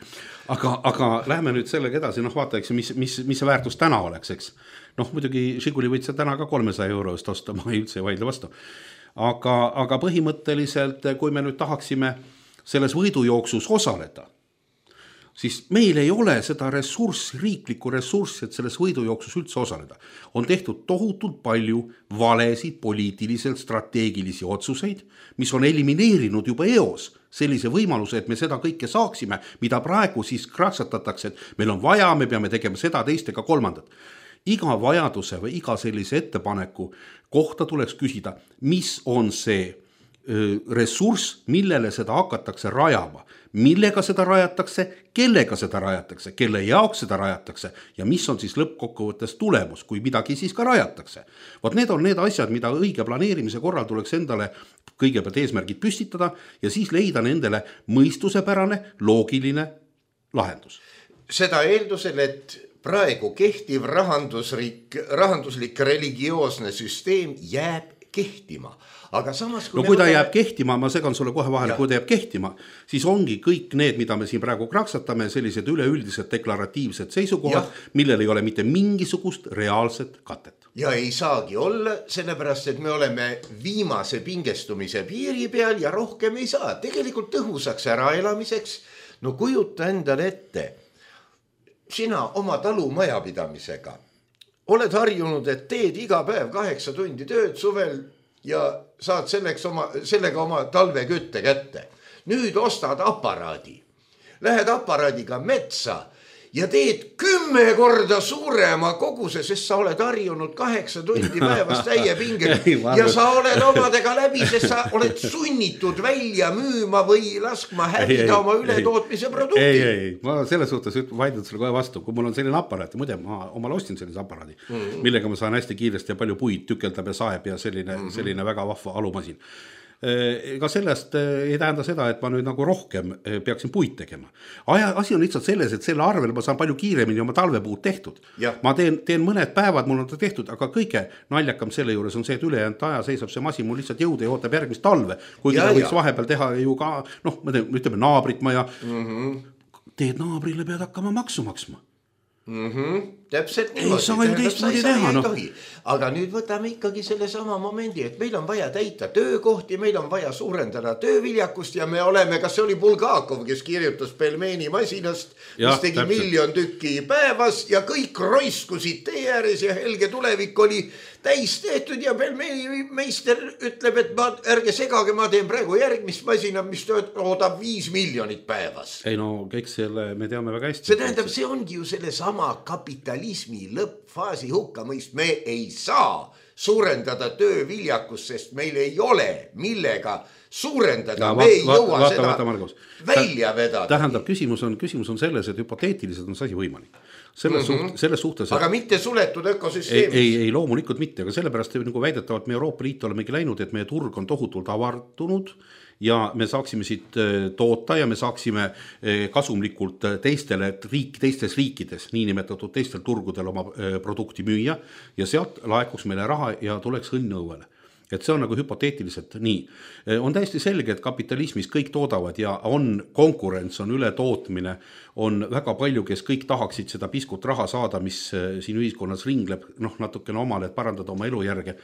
Aga lähme nüüd sellega edasi, noh vaata, eks, mis see väärtus täna oleks, eks. Noh, muidugi Žiguli võid sa täna ka 300 eurost osta, ma ei üldse vaidle vastu. Aga põhimõtteliselt, kui me nüüd tahaksime selles võidujooksus osaleda, siis meil ei ole seda ressurssi, riiklikku ressurssi, et selles võidujooksus üldse osaleda. On tehtud tohutult palju valesid, poliitiliselt strateegilisi otsuseid, mis on elimineerinud juba eos sellise võimaluse, et me seda kõike saaksime, mida praegu siis kraksatatakse, et meil on vaja, me peame tegema seda, teist ega kolmandat. Iga vajaduse või iga sellise ettepaneku kohta tuleks küsida, mis on see ressurss, millele seda hakatakse rajama, millega seda rajatakse, kellega seda rajatakse, kelle jaoks seda rajatakse ja mis on siis lõppkokkuvõttes tulemus, kui midagi siis ka rajatakse. Vot need on need asjad, mida õige planeerimise korral tuleks endale kõigepealt eesmärgid püstitada ja siis leida nendele mõistusepärane, loogiline lahendus. Seda eeldusel, et praegu kehtiv rahanduslik religioosne süsteem jääb kehtima. Aga samas, kui ta jääb kehtima, ma segan sulle kohe vahele, kui ta jääb kehtima, siis ongi kõik need, mida me siin praegu kraksatame, sellised üleüldised deklaratiivsed seisukohad, millel ei ole mitte mingisugust reaalset katet. Ja ei saagi olla, sellepärast, et me oleme viimase pingestumise piiri peal ja rohkem ei saa. Tegelikult tõhusaks äraelamiseks, no kujuta endale ette, sina oma talumajapidamisega oled harjunud, et teed iga päev 8 tundi tööd suvel ja saad sellega oma talvekütte kätte. Nüüd ostad aparaadi, lähed aparaadiga metsa ja teed 10 korda suurema koguse, sest sa oled harjunud 8 tundi päevas täie pingel ja sa oled omadega läbi, sest sa oled sunnitud välja müüma või laskma hävida oma ületootmise produkti. Ei, ma selles suhtes vaidlen sulle kohe vastu, kui mul on selline aparaat, muide ma omal ostin sellise aparaadi, millega ma saan hästi kiiresti ja palju puid tükeldab ja saeb ja selline väga vahva alumasin. Ega sellest ei tähenda seda, et ma nüüd nagu rohkem peaksin puid tegema. Asi on lihtsalt selles, et selle arvel ma saan palju kiiremini oma talvepuud tehtud. Ma teen mõned päevad, mul on ta tehtud, aga kõige naljakam selle juures on see, et ülejäänud aja seisab see masin mul lihtsalt jõuda ja ootab järgmist talve. Kuigi ta võiks vahepeal teha ju ka, noh, ütleme naabrit maja. Teed naabrile, pead hakkama maksu maksma. täpselt niimoodi. Ei saa ju teistmoodi teha, noh. Aga nüüd võtame ikkagi selle sama momendi, et meil on vaja täita töökohti, meil on vaja suurendada tööviljakust ja me oleme, kas see oli Bulgakov, kes kirjutas pelmeeni masinast, mis tegi 1 miljon tükki päevas ja kõik roiskusid tee ääres ja helge tulevik oli täis tehtud ja pelmeeni meister ütleb, et ärge segage, ma teen praegu järgmist masina, mis toodab 5 miljonit päevas. Ei no, kõik selle me teame väga hästi. See tähendab, see ongi ju selle sama kapitalismi lõppfaasi hukkamõist. Me ei saa suurendada tööviljakust, sest meil ei ole millega suurendada. Me ei jõua seda välja vedada. Tähendab, küsimus on selles, et hüpoteetiliselt on see asi võimalik. Selles suhtes, aga mitte suletud ökosüsteemis. Ei, loomulikult mitte, aga sellepärast nagu väidetavalt me Euroopa Liitu olemegi läinud, et meie turg on tohutult avardunud ja me saaksime siit toota ja me saaksime kasumlikult teistes riikides, niinimetatud teistel turgudel oma produkti müüa ja sealt laekuks meile raha ja tuleks õnn õuele. Et see on nagu hüpoteetiliselt nii. On täiesti selge, et kapitalismis kõik toodavad ja on konkurents, on ületootmine, on väga palju, kes kõik tahaksid seda piskut raha saada, mis siin ühiskonnas ringleb, natukene omale, et parandada oma elujärge.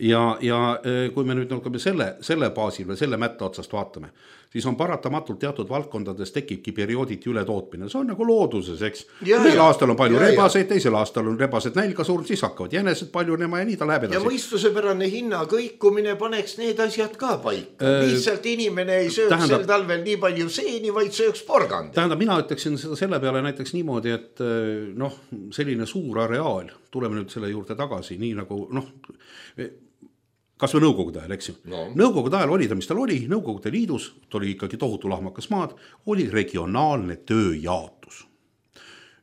Ja kui me nüüd selle baasil või selle mätta otsast vaatame, siis on paratamatult teatud valdkondades tekibki periooditi ületootmine. See on nagu looduses, eks. Ühel aastal on palju rebaseid, teisel aastal on rebased nälga surnud, siis hakkavad jänesed paljunema ja nii ta läheb edasi. Ja mõistusepärane hinna kõikumine paneks need asjad ka paika. Lihtsalt inimene ei sööks sel talvel nii palju seeni, vaid sööks porgand. Tähendab, mina ütleksin seda selle peale näiteks niimoodi, et selline suur areaal, tuleme nüüd selle juurde tagasi, nii nagu kas või Nõukogude ajal, eks ju. Nõukogude ajal oli ta, mis tal oli, Nõukogude Liidus, ta oli ikkagi tohutu lahmakas maad, oli regionaalne tööjaotus.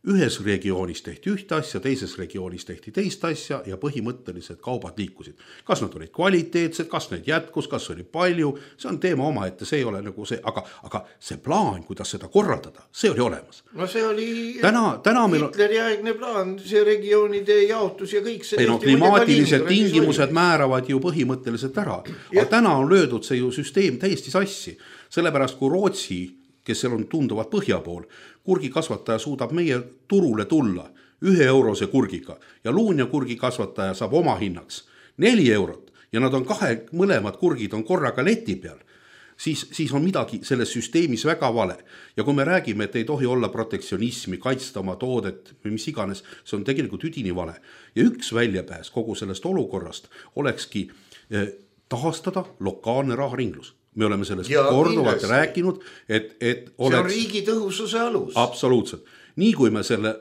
Ühes regioonis tehti ühte asja, teises regioonis tehti teist asja ja põhimõtteliselt kaubad liikusid. Kas nad olid kvaliteetsed, kas neid jätkus, kas oli palju, see on teema oma, et see ei ole nagu see, aga see plaan, kuidas seda korraldada, see oli olemas. No see oli Hitleri aegne plaan, see regioonide jaotus ja kõik see. Klimaatilised tingimused määravad ju põhimõtteliselt ära. Aga täna on löödud see ju süsteem täiesti sassi, sellepärast kui Rootsi, kes seal on tunduvalt põhja pool, kurgikasvataja suudab meie turule tulla 1 eurose kurgiga ja luun ja kurgikasvataja saab oma hinnaks 4 eurot ja nad on mõlemad kurgid on korraga leti peal, siis on midagi selles süsteemis väga vale. Ja kui me räägime, et ei tohi olla protektsionismi, kaitsta oma toodet või mis iganes, see on tegelikult üdini vale. Ja üks väljapääs kogu sellest olukorrast olekski taastada lokaalne raharinglus. Me oleme sellest korduvalt rääkinud, et oleks... See on riigi tõhususe alus. Absoluutselt. Nii kui me selle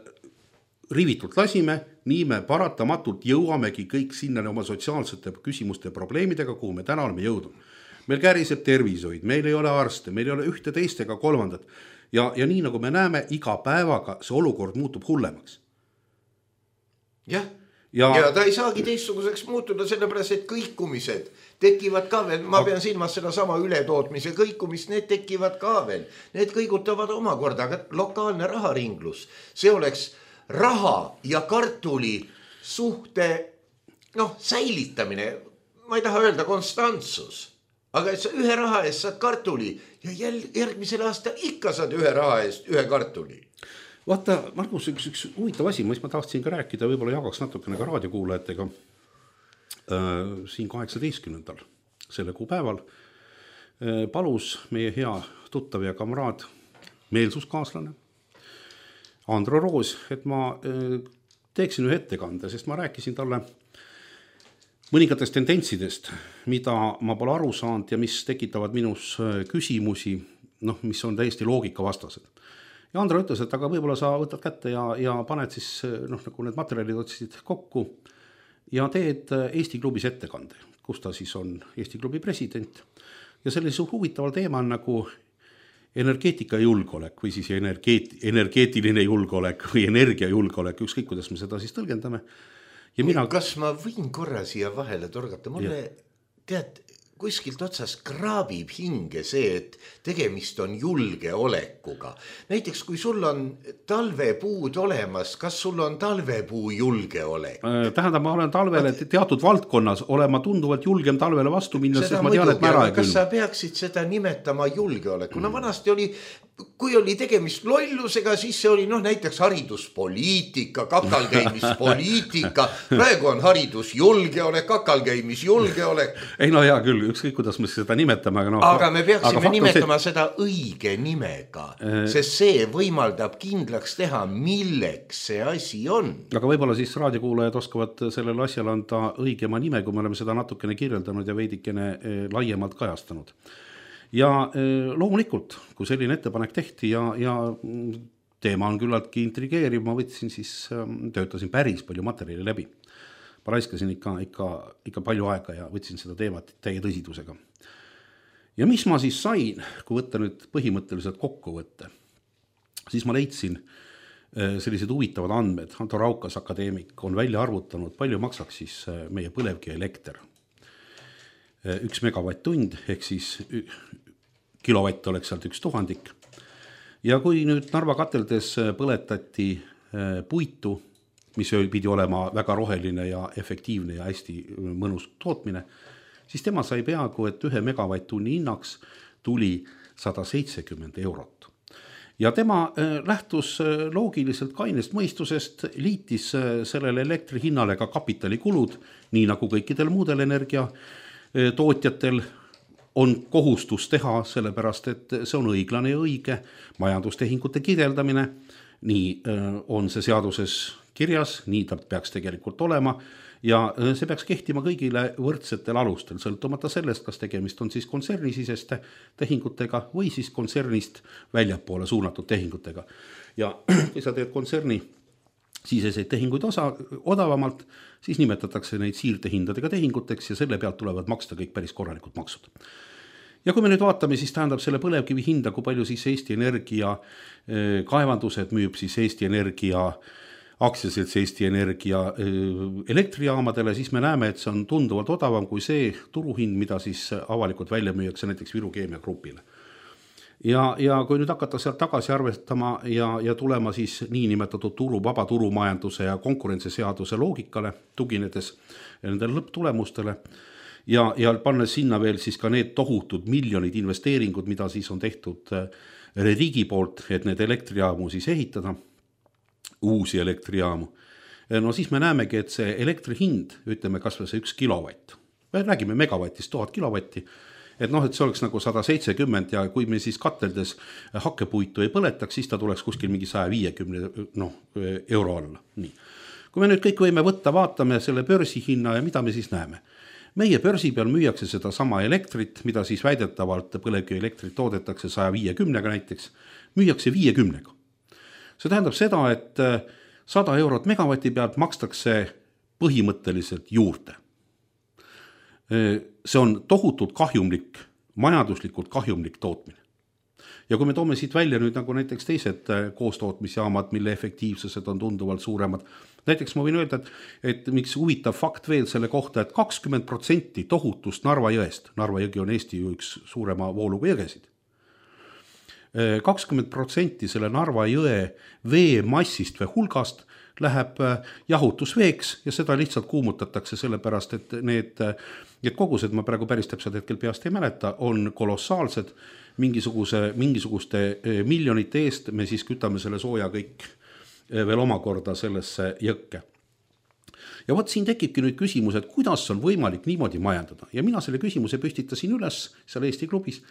rivitult lasime, nii me paratamatult jõuamegi kõik sinna oma sotsiaalsete küsimuste probleemidega, kuhu me täna oleme jõudnud. Meil käriseb tervishoid, meil ei ole arste, meil ei ole ühte teist ega kolmandat. Ja nii nagu me näeme, iga päevaga see olukord muutub hullemaks. Ja ta ei saagi teistsuguseks muutuda, sellepärast, et kõikumised tekivad ka veel, ma pean silmas seda sama ületootmise kõikumist, need tekivad ka veel. Need kõigutavad omakorda, aga lokaalne raharinglus, see oleks raha ja kartuli suhte säilitamine, ma ei taha öelda konstantsus, aga et sa 1 raha eest saad kartuli ja järgmisel aastal ikka saad 1 raha eest 1 kartuli. Vaata, Margus, üks huvitav asi, mis ma tahtsin ka rääkida, võib-olla jagaks natukene ka raadiokuulajatega siin 18. selle kuupäeval palus meie hea tuttav ja kamraad, meelsuskaaslane Andro Roos, et ma teeksin ühe ettekande, sest ma rääkisin talle mõningatest tendentsidest, mida ma pole aru saanud ja mis tekitavad minus küsimusi, mis on täiesti loogikavastased. Ja Andro ütles, et aga võib-olla sa võtad kätte ja paned siis nagu need materjalid otsisid kokku ja teed Eesti klubis ettekande, kus ta siis on Eesti klubi president. Ja sellise huvitaval teema on nagu energeetika julgeolek või siis energeetiline julgeolek või energiajulgeolek, ükskõik kuidas me seda siis tõlgendame. Ja kas ma võin korra siia vahele torgata? Mulle kuskilt otsas kraabib hinge see, et tegemist on julgeolekuga. Näiteks, kui sul on talvepuud olemas, kas sul on talvepuu julgeolek? Tähendab, ma olen talvele teatud valdkonnas olema tunduvalt julgem talvele vastu minna, sest ma tean, et ma ära ei külma. Kas sa peaksid seda nimetama julgeoleku? Vanasti oli kui oli tegemist lollusega, siis see oli näiteks hariduspoliitika, kakalkäimispoliitika, praegu on haridusjulgeolek, kakalkäimisjulgeolek. Ei no hea küll, ükskõik kuidas me seda nimetame. Aga me peaksime nimetama seda õige nimega, sest see võimaldab kindlaks teha, milleks see asi on. Aga võib-olla siis raadiokuulajad oskavad sellele asjale anda õigema nime, kui me oleme seda natukene kirjeldanud ja veidikene laiemalt kajastanud. Ja loomulikult, kui selline ettepanek tehti ja teema on küllaltki intrigeeriv, ma võtsin siis, töötasin päris palju materjali läbi. Ma raiskasin ikka palju aega ja võtsin seda teemat täie tõsidusega. Ja mis ma siis sain, kui võtta nüüd põhimõtteliselt kokkuvõtte, siis ma leidsin sellised huvitavad andmed. Anto Raukas, akadeemik, on välja arvutanud, palju maksaks siis meie põlevkivi elekter. 1 megavatt-tund, ehk siis kilovatt oleks sealt 1000. Ja kui nüüd Narva kateldes põletati puitu, mis pidi olema väga roheline ja efektiivne ja hästi mõnus tootmine, siis tema sai peaaegu, et 1 megavatt-tunni hinnaks tuli 170 €. Ja tema lähtus loogiliselt kainest mõistusest, liitis sellele elektri hinnale ka kapitalikulud, nii nagu kõikidel muudel energia tootjatel on kohustus teha, sellepärast et see on õiglane ja õige majandustehingute kirjeldamine. Nii on see seaduses kirjas, nii ta peaks tegelikult olema ja see peaks kehtima kõigile võrdsetel alustel, sõltumata sellest, kas tegemist on siis kontsernisiseste tehingutega või siis kontsernist väljapoole suunatud tehingutega. Ja kui sa teed kontserni siseseid tehinguid odavamalt, siis nimetatakse neid siirdehindadega tehinguteks ja selle pealt tulevad maksta kõik päris korralikud maksud. Ja kui me nüüd vaatame, siis tähendab selle põlevkivi hinda, kui palju siis Eesti Energia kaevandused müüb siis Eesti Energia aktsiaselts Eesti Energia elektrijaamadele, siis me näeme, et see on tunduvalt odavam kui see turuhind, mida siis avalikult välja müüakse näiteks Viru Keemia Grupile. Ja kui nüüd hakata sealt tagasi arvestama ja tulema siis niinimetatud vaba turumajanduse ja konkurentsiseaduse loogikale, tuginedes nendele lõpptulemustele ja pannes sinna veel siis ka need tohutud miljonid investeeringud, mida siis on tehtud riigi poolt, et need elektrijaamu siis ehitada, uusi elektrijaamu, no siis me näemegi, et see elektri hind, ütleme kas või see 1 kilovatt, me räägime megavatist 1000 kilovatti, et see oleks nagu 170 ja kui me siis kateldes hakkepuitu ei põletaks, siis ta tuleks kuskil mingi 150 € alla. Nii. Kui me nüüd kõik võime võtta, vaatame selle börsihinna ja mida me siis näeme. Meie börsi peal müüakse seda sama elektrit, mida siis väidetavalt põlevkivi elektrit toodetakse 150 näiteks, müüakse 50. See tähendab seda, et 100 € megavati pealt makstakse põhimõtteliselt juurde. See on tohutult kahjumlik, majanduslikult kahjumlik tootmine. Ja kui me toome siit välja nüüd nagu näiteks teised koostootmisjaamad, mille efektiivsused on tunduvalt suuremad, näiteks ma võin öelda, et miks huvitav fakt veel selle kohta, et 20% tohutust Narva jõest, Narva jõgi on Eesti üks suurema vooluga jõgesid, 20% selle Narva jõe vee massist või hulgast läheb jahutusveeks ja seda lihtsalt kuumutatakse sellepärast, et need kogused, ma praegu päris täpselt hetkel peast ei mäleta, on kolossaalsed, mingisuguste miljonite eest me siis kütame selle sooja kõik veel omakorda sellesse jõkke. Ja vot siin tekibki nüüd küsimus, et kuidas on võimalik niimoodi majandada ja mina selle küsimuse püstitasin üles seal Eesti klubis,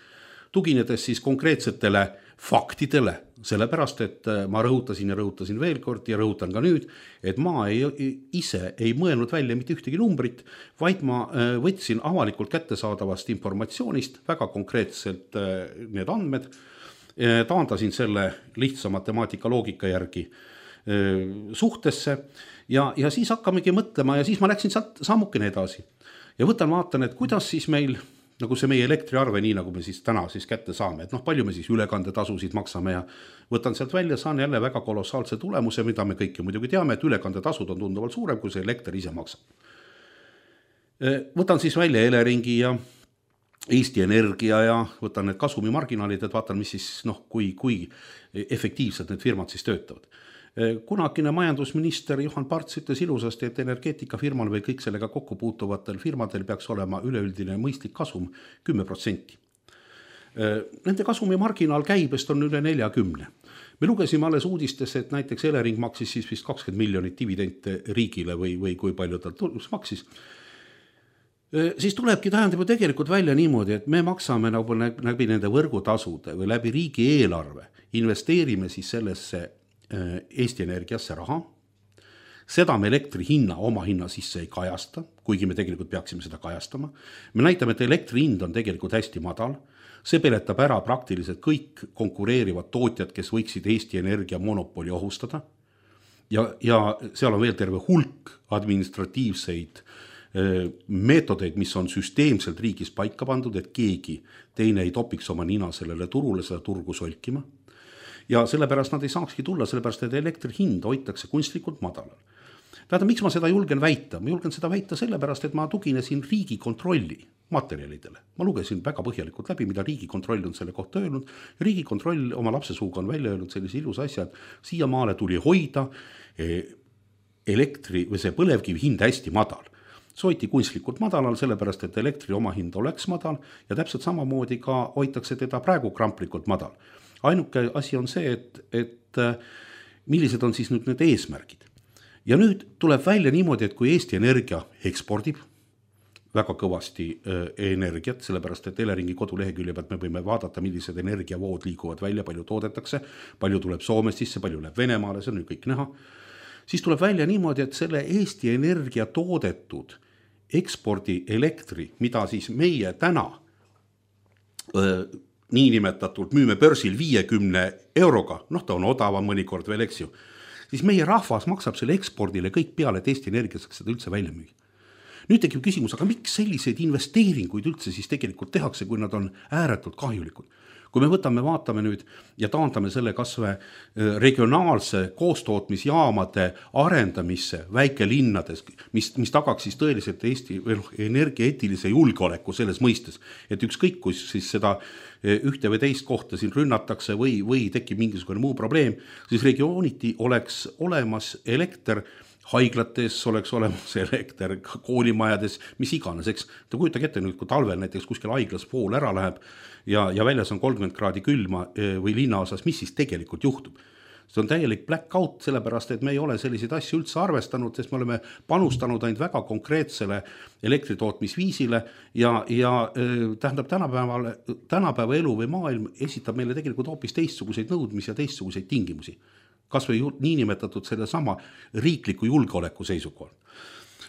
tuginedes siis konkreetsetele faktidele, sellepärast, et ma rõhutasin veel kord ja rõhutan ka nüüd, et ma ise ei mõelnud välja mitte ühtegi numbrit, vaid ma võtsin avalikult kättesaadavast informatsioonist väga konkreetselt need andmed, taandasin selle lihtsa matemaatika loogika järgi suhtesse ja siis hakkamegi mõtlema ja siis ma läksin sealt sammukene edasi ja vaatan, et kuidas siis meil nagu see meie elektriarve, nii nagu me siis täna siis kätte saame, et palju me siis ülekandetasusid maksame ja võtan sealt välja, saan jälle väga kolossaalse tulemuse, mida me kõik ju muidugi teame, et ülekandetasud on tunduvalt suurem, kui see elekter ise maksab. Võtan siis välja Eleringi ja Eesti Energia ja võtan need kasumimarginaalid, et vaatan, mis siis, kui efektiivselt need firmad siis töötavad. Kunagine majandusminister Juhan Parts ütles ilusasti, et energeetikafirmal või kõik sellega kokku puutuvatel firmadel peaks olema üleüldine mõistlik kasum 10%. Nende kasumi marginaal käibest on üle 40. Me lugesime alles uudistes, et näiteks Elering maksis siis vist 20 miljonit dividente riigile või kui palju tal maksis. Siis tulebki tähendab ju tegelikult välja niimoodi, et me maksame nagu läbi nende võrgutasude või läbi riigi eelarve, investeerime siis sellesse Eesti Energiasse raha, seda me elektri hinna oma hinna sisse ei kajasta, kuigi me tegelikult peaksime seda kajastama. Me näitame, et elektri hind on tegelikult hästi madal, see peletab ära praktiliselt kõik konkureerivad tootjad, kes võiksid Eesti Energia monopoli ohustada ja seal on veel terve hulk administratiivseid meetodeid, mis on süsteemselt riigis paika pandud, et keegi teine ei topiks oma nina sellele turule, seda turgu solkima. Ja sellepärast nad ei saakski tulla, sellepärast et elektri hind hoitakse kunstlikult madalal. Tähendab, miks ma seda julgen väita? Ma julgen seda väita sellepärast, et ma tuginesin Riigikontrolli materjalidele. Ma lugesin väga põhjalikult läbi, mida Riigikontroll on selle kohta öelnud. Riigikontroll oma lapse suuga on välja öelnud sellise ilus asja, et siiamaale tuli hoida elektri või see põlevkivi hind hästi madal. See hoiti kunstlikult madalal, sellepärast, et elektri omahind oleks madal ja täpselt samamoodi ka hoitakse teda praegu kramplikult madal. Ainuke asi on see, et millised on siis nüüd need eesmärgid. Ja nüüd tuleb välja niimoodi, et kui Eesti Energia ekspordib väga kõvasti energiat, sellepärast, et Eleringi kodulehekülje pealt me võime vaadata, millised energiavood liiguvad välja, palju toodetakse, palju tuleb Soomest sisse, palju läheb Venemaale, see on nüüd kõik näha. Siis tuleb välja niimoodi, et selle Eesti Energia toodetud ekspordi elektri, mida siis meie täna niinimetatult müüme börsil 50 euroga, ta on odavam mõnikord veel, eks ju, siis meie rahvas maksab selle ekspordile kõik peale, et Eesti Energia saaks seda üldse välja müüa. Nüüd tekib küsimus, aga miks selliseid investeeringuid üldse siis tegelikult tehakse, kui nad on ääretult kahjulikud? Kui me vaatame nüüd ja taandame selle kasvõi regionaalse koostootmisjaamade arendamisse väikelinnades, mis tagaks siis tõeliselt Eesti energiaeetilise julgeoleku selles mõistes, et ükskõik, kus siis seda ühte või teist kohta siin rünnatakse või tekib mingisugune muu probleem, siis regiooniti oleks olemas elekter, haiglates oleks olemas elekter, koolimajades, mis iganes, eks. Ta kujutage ette nüüd, kui talvel näiteks kuskil haiglas pool ära läheb ja väljas on 30 kraadi külma või linnaosas, mis siis tegelikult juhtub? See on täielik blackout, sellepärast, et me ei ole selliseid asju üldse arvestanud, sest me oleme panustanud ainult väga konkreetsele elektritootmisviisile ja tähendab tänapäeva elu või maailm esitab meile tegelikult hoopis teistsuguseid nõudmisi ja teistsuguseid tingimusi. Kas või niinimetatud selle sama riikliku julgeoleku seisukohal.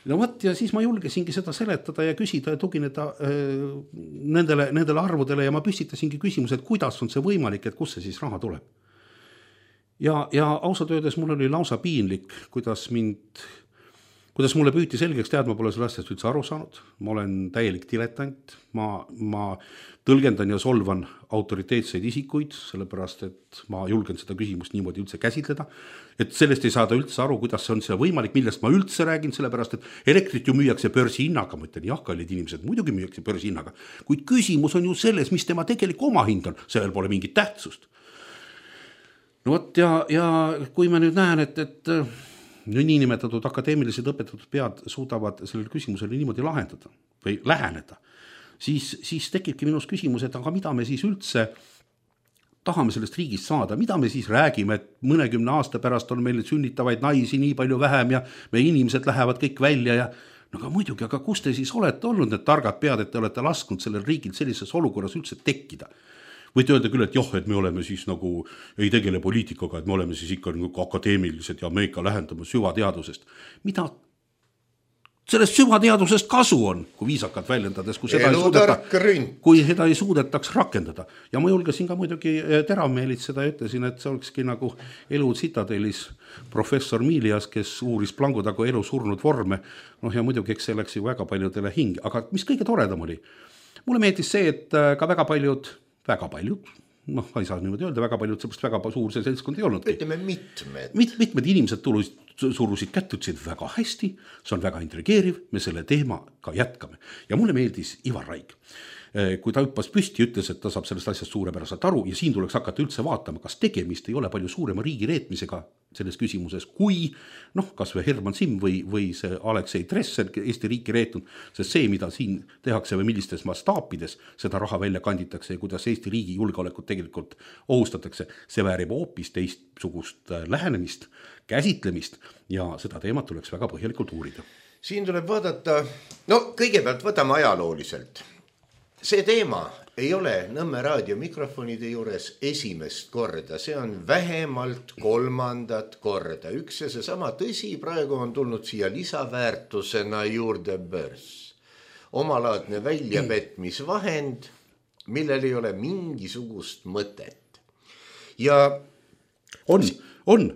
No võt, ja siis ma julgesingi seda seletada ja küsida ja tugineda nendele arvudele ja ma püstitasingi küsimus, et kuidas on see võimalik, et kus see siis raha tuleb. Ja ausalt öeldes mul oli lausa piinlik, kuidas mulle püüti selgeks tead, ma pole selle asjast üldse aru saanud. Ma olen täielik diletant, ma tõlgendan ja solvan autoriteetseid isikuid, sellepärast, et ma julgen seda küsimust niimoodi üldse käsitleda, et sellest ei saada üldse aru, kuidas see on see võimalik, millest ma üldse räägin, sellepärast, et elektrit ju müüakse börsihinnaga, ma ütlen, jah, kallid inimesed, muidugi müüakse börsihinnaga, kuid küsimus on ju selles, mis tema tegelik omahind on, sellel pole mingit tähtsust. No võt, ja kui ma nüüd näen, et niinimetatud akadeemilised õpetatud pead suudavad sellele küsimusele niimoodi lahendada või läheneda, siis tekibki minus küsimus, et aga mida me siis üldse tahame sellest riigist saada, mida me siis räägime, et mõnekümne aasta pärast on meil sünnitavaid naisi nii palju vähem ja meie inimesed lähevad kõik välja ja no aga muidugi, aga kus te siis olete olnud need targad pead, et te olete lasknud sellel riigil sellises olukorras üldse tekkida? Võite öelda küll, et jah, et me oleme siis nagu ei tegele poliitikaga, et me oleme siis ikka nagu akadeemilised ja me ikka lähendame süvateadusest. Mida sellest süvateadusest kasu on, kui viisakalt väljendades, kui seda ei suudetaks rakendada. Ja ma julgesin ka muidugi teravmeelitseda ja ütlesin, et see olekski nagu elu tsitadelis professor Milias, kes uuris Plangu-Tagu elu surnud vorme. Ja muidugi, eks see läks ju väga paljudele hinge. Aga mis kõige toredam oli? Mulle meeldis see, et ka väga paljud, ei saa niimoodi öelda, väga paljud, seepärast väga suur see seltskond ei olnudki. Ütleme mitmed inimesed surusid kätt, ütlesid väga hästi, see on väga intrigeeriv, me selle teema ka jätkame. Ja mulle meeldis Ivar Raik. kui ta hüppas püsti, ütles, et ta saab sellest asjast suurepäraselt aru ja siin tuleks hakata üldse vaatama, kas tegemist ei ole palju suurema riigi reetmisega selles küsimuses, kui kas või Herman Simm või see Aleksei Tresser Eesti riiki reetnud, sest see, mida siin tehakse või millistes mastaapides seda raha välja kanditakse ja kuidas Eesti riigi julgeolekut tegelikult ohustatakse, see väärib hoopis teistsugust lähenemist, käsitlemist ja seda teemat tuleks väga põhjalikult uurida. Siin tuleb vaadata, kõigepealt võtame ajalooliselt. See teema ei ole Nõmme raadio mikrofonide juures esimest korda, see on vähemalt 3. korda. Üks ja seesama tõsi, praegu on tulnud siia lisaväärtusena juurde börs. Omalaadne väljapetmisvahend, millel ei ole mingisugust mõtet. Ja on,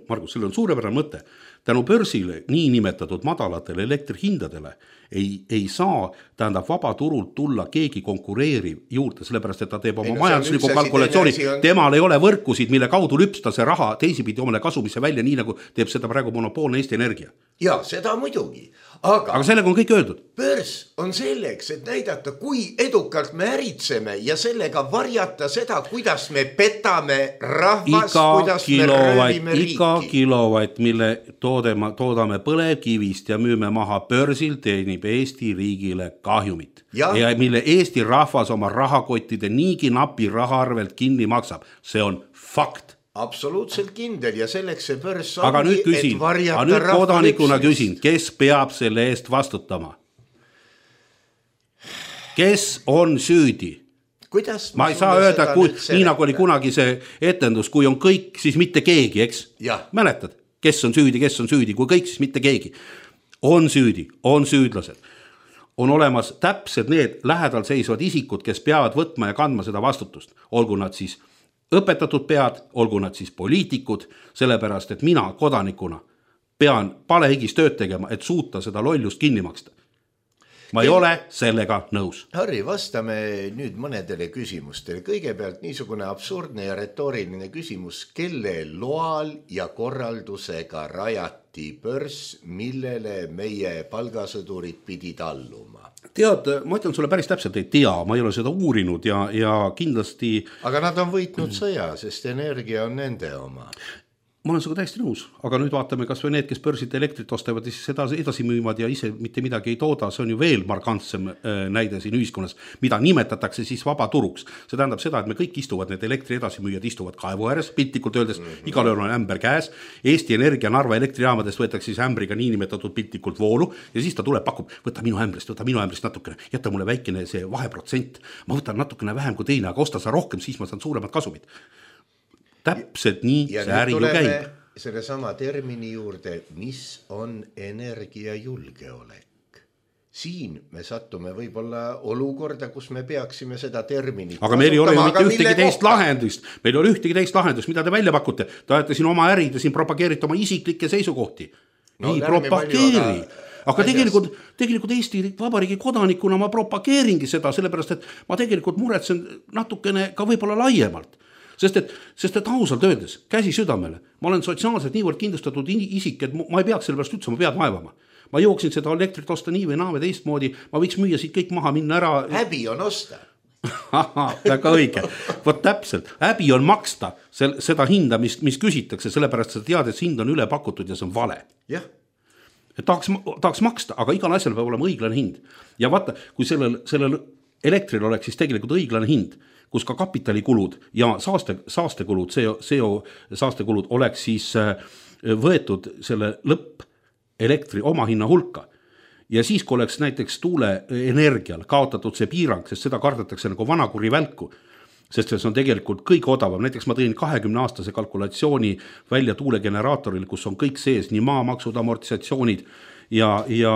Margus, sellel on suurepärane mõte. Tänu börsile niinimetatud madalatele elektrihindadele ei saa, tähendab, vabaturult tulla keegi konkureeriv juurde, sellepärast, et ta teeb oma majandusliku kalkulatsiooni. Temal ei ole võrkusid, mille kaudu lüpsta see raha teisipidi omale kasumisse välja, nii nagu teeb seda praegu monopoolne Eesti Energia. Ja seda muidugi. Aga sellega on kõik öeldud. Börs on selleks, et näidata, kui edukalt me äritseme ja sellega varjata seda, kuidas me petame rahvast, kuidas me röövime riiki. Iga kilovatt, mille toodame põlevkivist ja müüme maha börsil, teenib Eesti riigile kahjumit. Ja mille Eesti rahvas oma rahakottide niigi napi raha arvelt kinni maksab. See on fakt. Absoluutselt kindel ja selleks see börs on, et varjata nüüd kodanikuna küsin, kes peab selle eest vastutama? Kes on süüdi? Ma ei saa öelda, nii nagu oli kunagi see etendus, kui on kõik, siis mitte keegi, eks? Mäletad, kes on süüdi, kui kõik, siis mitte keegi. On süüdi, on süüdlased. On olemas täpsed need lähedal seisvad isikud, kes peavad võtma ja kandma seda vastutust. Olgu nad siis õpetatud pead, olgu nad siis poliitikud, sellepärast, et mina kodanikuna pean palehigis tööd tegema, et suuta seda lollust kinni maksta. Ma ei ole sellega nõus. Harri, vastame nüüd mõnedele küsimustele. Kõigepealt niisugune absurdne ja retooriline küsimus, kelle loal ja korraldusega rajati börs, millele meie palgasõdurid pidid alluma? Tead, ma ütlen sulle päris täpselt ei tea, ma ei ole seda uurinud ja kindlasti... Aga nad on võitnud sõja, sest energia on nende oma. Ma olen sinuga täiesti nõus, aga nüüd vaatame kas või need, kes börsilt elektrit ostavad ja siis seda edasi müüvad ja ise mitte midagi ei tooda, see on ju veel markantsem näide siin ühiskonnas, mida nimetatakse siis vabaturuks. See tähendab seda, et me kõik istuvad, need elektri edasimüüjad istuvad kaevu ääres, piltlikult öeldes, igalühel on ämber käes, Eesti Energia Narva elektrijaamadest võetakse siis ämbriga niinimetatud piltlikult voolu ja siis ta tuleb, pakub, võta minu ämbrist natukene, jätta mulle väikene see vaheprotsent, ma võtan natukene vähem kui teine, aga osta sa rohkem, siis ma saan suuremad kasumid. Täpselt nii ja see äri ju käib. Selle sama termini juurde, mis on energiajulgeolek. Siin me sattume võib-olla olukorda, kus me peaksime seda terminit aga meil ei ole ju mitte ühtegi teist lahendust. Meil ei ole ühtegi teist lahendust, mida te välja pakute. Te ajate siin oma ärid ja siin propageerite oma isiklikke seisukohti. Ei propageeri. Aga tegelikult Eesti Vabariigi kodanikuna ma propageeringi seda, sellepärast, et ma tegelikult muretsen natukene ka võib-olla laiemalt. Sest et ausalt öeldes, käsi südamele, ma olen sotsiaalselt niivõrd kindlustatud isik, et ma ei peaks selle pärast üldse oma pead vaevama. Ma jooksin seda elektrit osta nii või naa või teistmoodi, ma võiks müüa siit kõik maha, minna ära. Häbi on osta. Väga õige. Vot täpselt, häbi on maksta seda hinda, mis küsitakse, sellepärast sa tead, et see hind on üle pakutud ja see on vale. Jah. Et tahaks maksta, aga igal asjal peab olema õiglane hind. Ja vaata, kui sellel elektril oleks siis tegelikult õiglane hind, kus ka kapitalikulud ja saastekulud, CO saastekulud oleks siis võetud selle lõpp elektri omahinna hulka. Ja siis, kui oleks näiteks tuuleenergial kaotatud see piirang, sest seda kardetakse nagu vanakuri välku, sest see on tegelikult kõige odavam. Näiteks ma tõin 20-aastase kalkulatsiooni välja tuulegeneraatoril, kus on kõik sees, nii maamaksud, amortisatsioonid ja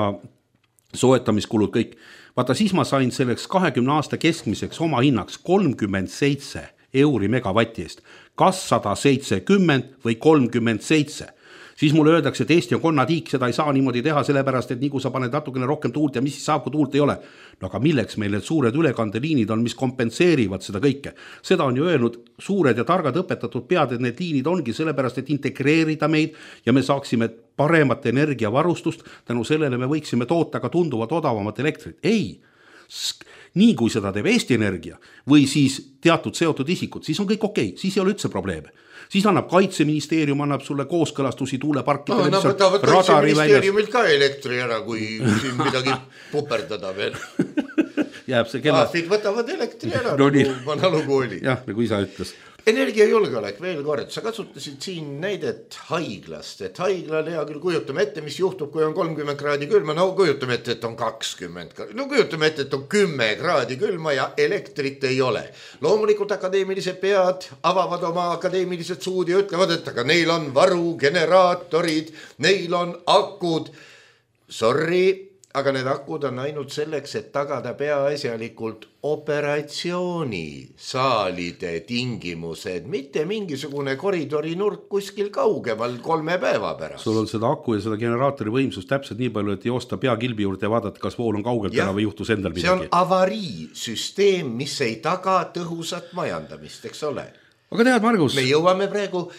soetamiskulud kõik. Vaata, siis ma sain selleks 20 aasta keskmiseks oma hinnaks 37 euri megavati eest. Kas 170 või 37? Siis mulle öeldakse, et Eesti on konnatiik, seda ei saa niimoodi teha, sellepärast, et nii kui sa paned natukene rohkem tuult ja mis siis saab, kui tuult ei ole. No aga milleks meil need suured ülekandeliinid on, mis kompenseerivad seda kõike? Seda on ju öelnud suured ja targad õpetatud pead, et need liinid ongi sellepärast, et integreerida meid ja me saaksime paremat energiavarustust, tänu sellele me võiksime toota ka tunduvat odavamat elektrit. Ei, nii kui seda teeb Eesti Energia või siis teatud seotud isikud, siis on kõik okei, siis ei ole üldse probleeme. Siis annab Kaitseministeerium, annab sulle kooskõlastusi tuuleparkidele. No võtavad Kaitseministeeriumilt ka elektri ära, kui siin midagi puperdada veel. Jääb see kella. Võtavad elektri ära, nagu vana lugu oli. Jah, nagu isa ütles. Energiajulgeolek veel kord, sa kasutasid siin näidet haiglast, et haiglal hea küll kujutame ette, mis juhtub, kui on 30 kraadi külma, no kujutame ette, et on 20, no kujutame ette, et on 10 kraadi külma ja elektrit ei ole. Loomulikult akadeemilised pead avavad oma akadeemilised suud ja ütlevad, et aga neil on varugeneraatorid, neil on akud, sorry, aga need akud on ainult selleks, et tagada peaasjalikult operatsioonisaalide tingimused, mitte mingisugune koridori nurk kuskil kaugemal 3 päeva pärast. Sul on seda aku ja seda generaatori võimsust täpselt nii palju, et joosta peakilbi juurde ja vaadata, kas vool on kaugelt ära või juhtus endal midagi. See on avariisüsteem, mis ei taga tõhusat majandamist, eks ole. Aga tead, Margus? Me jõuame praegu,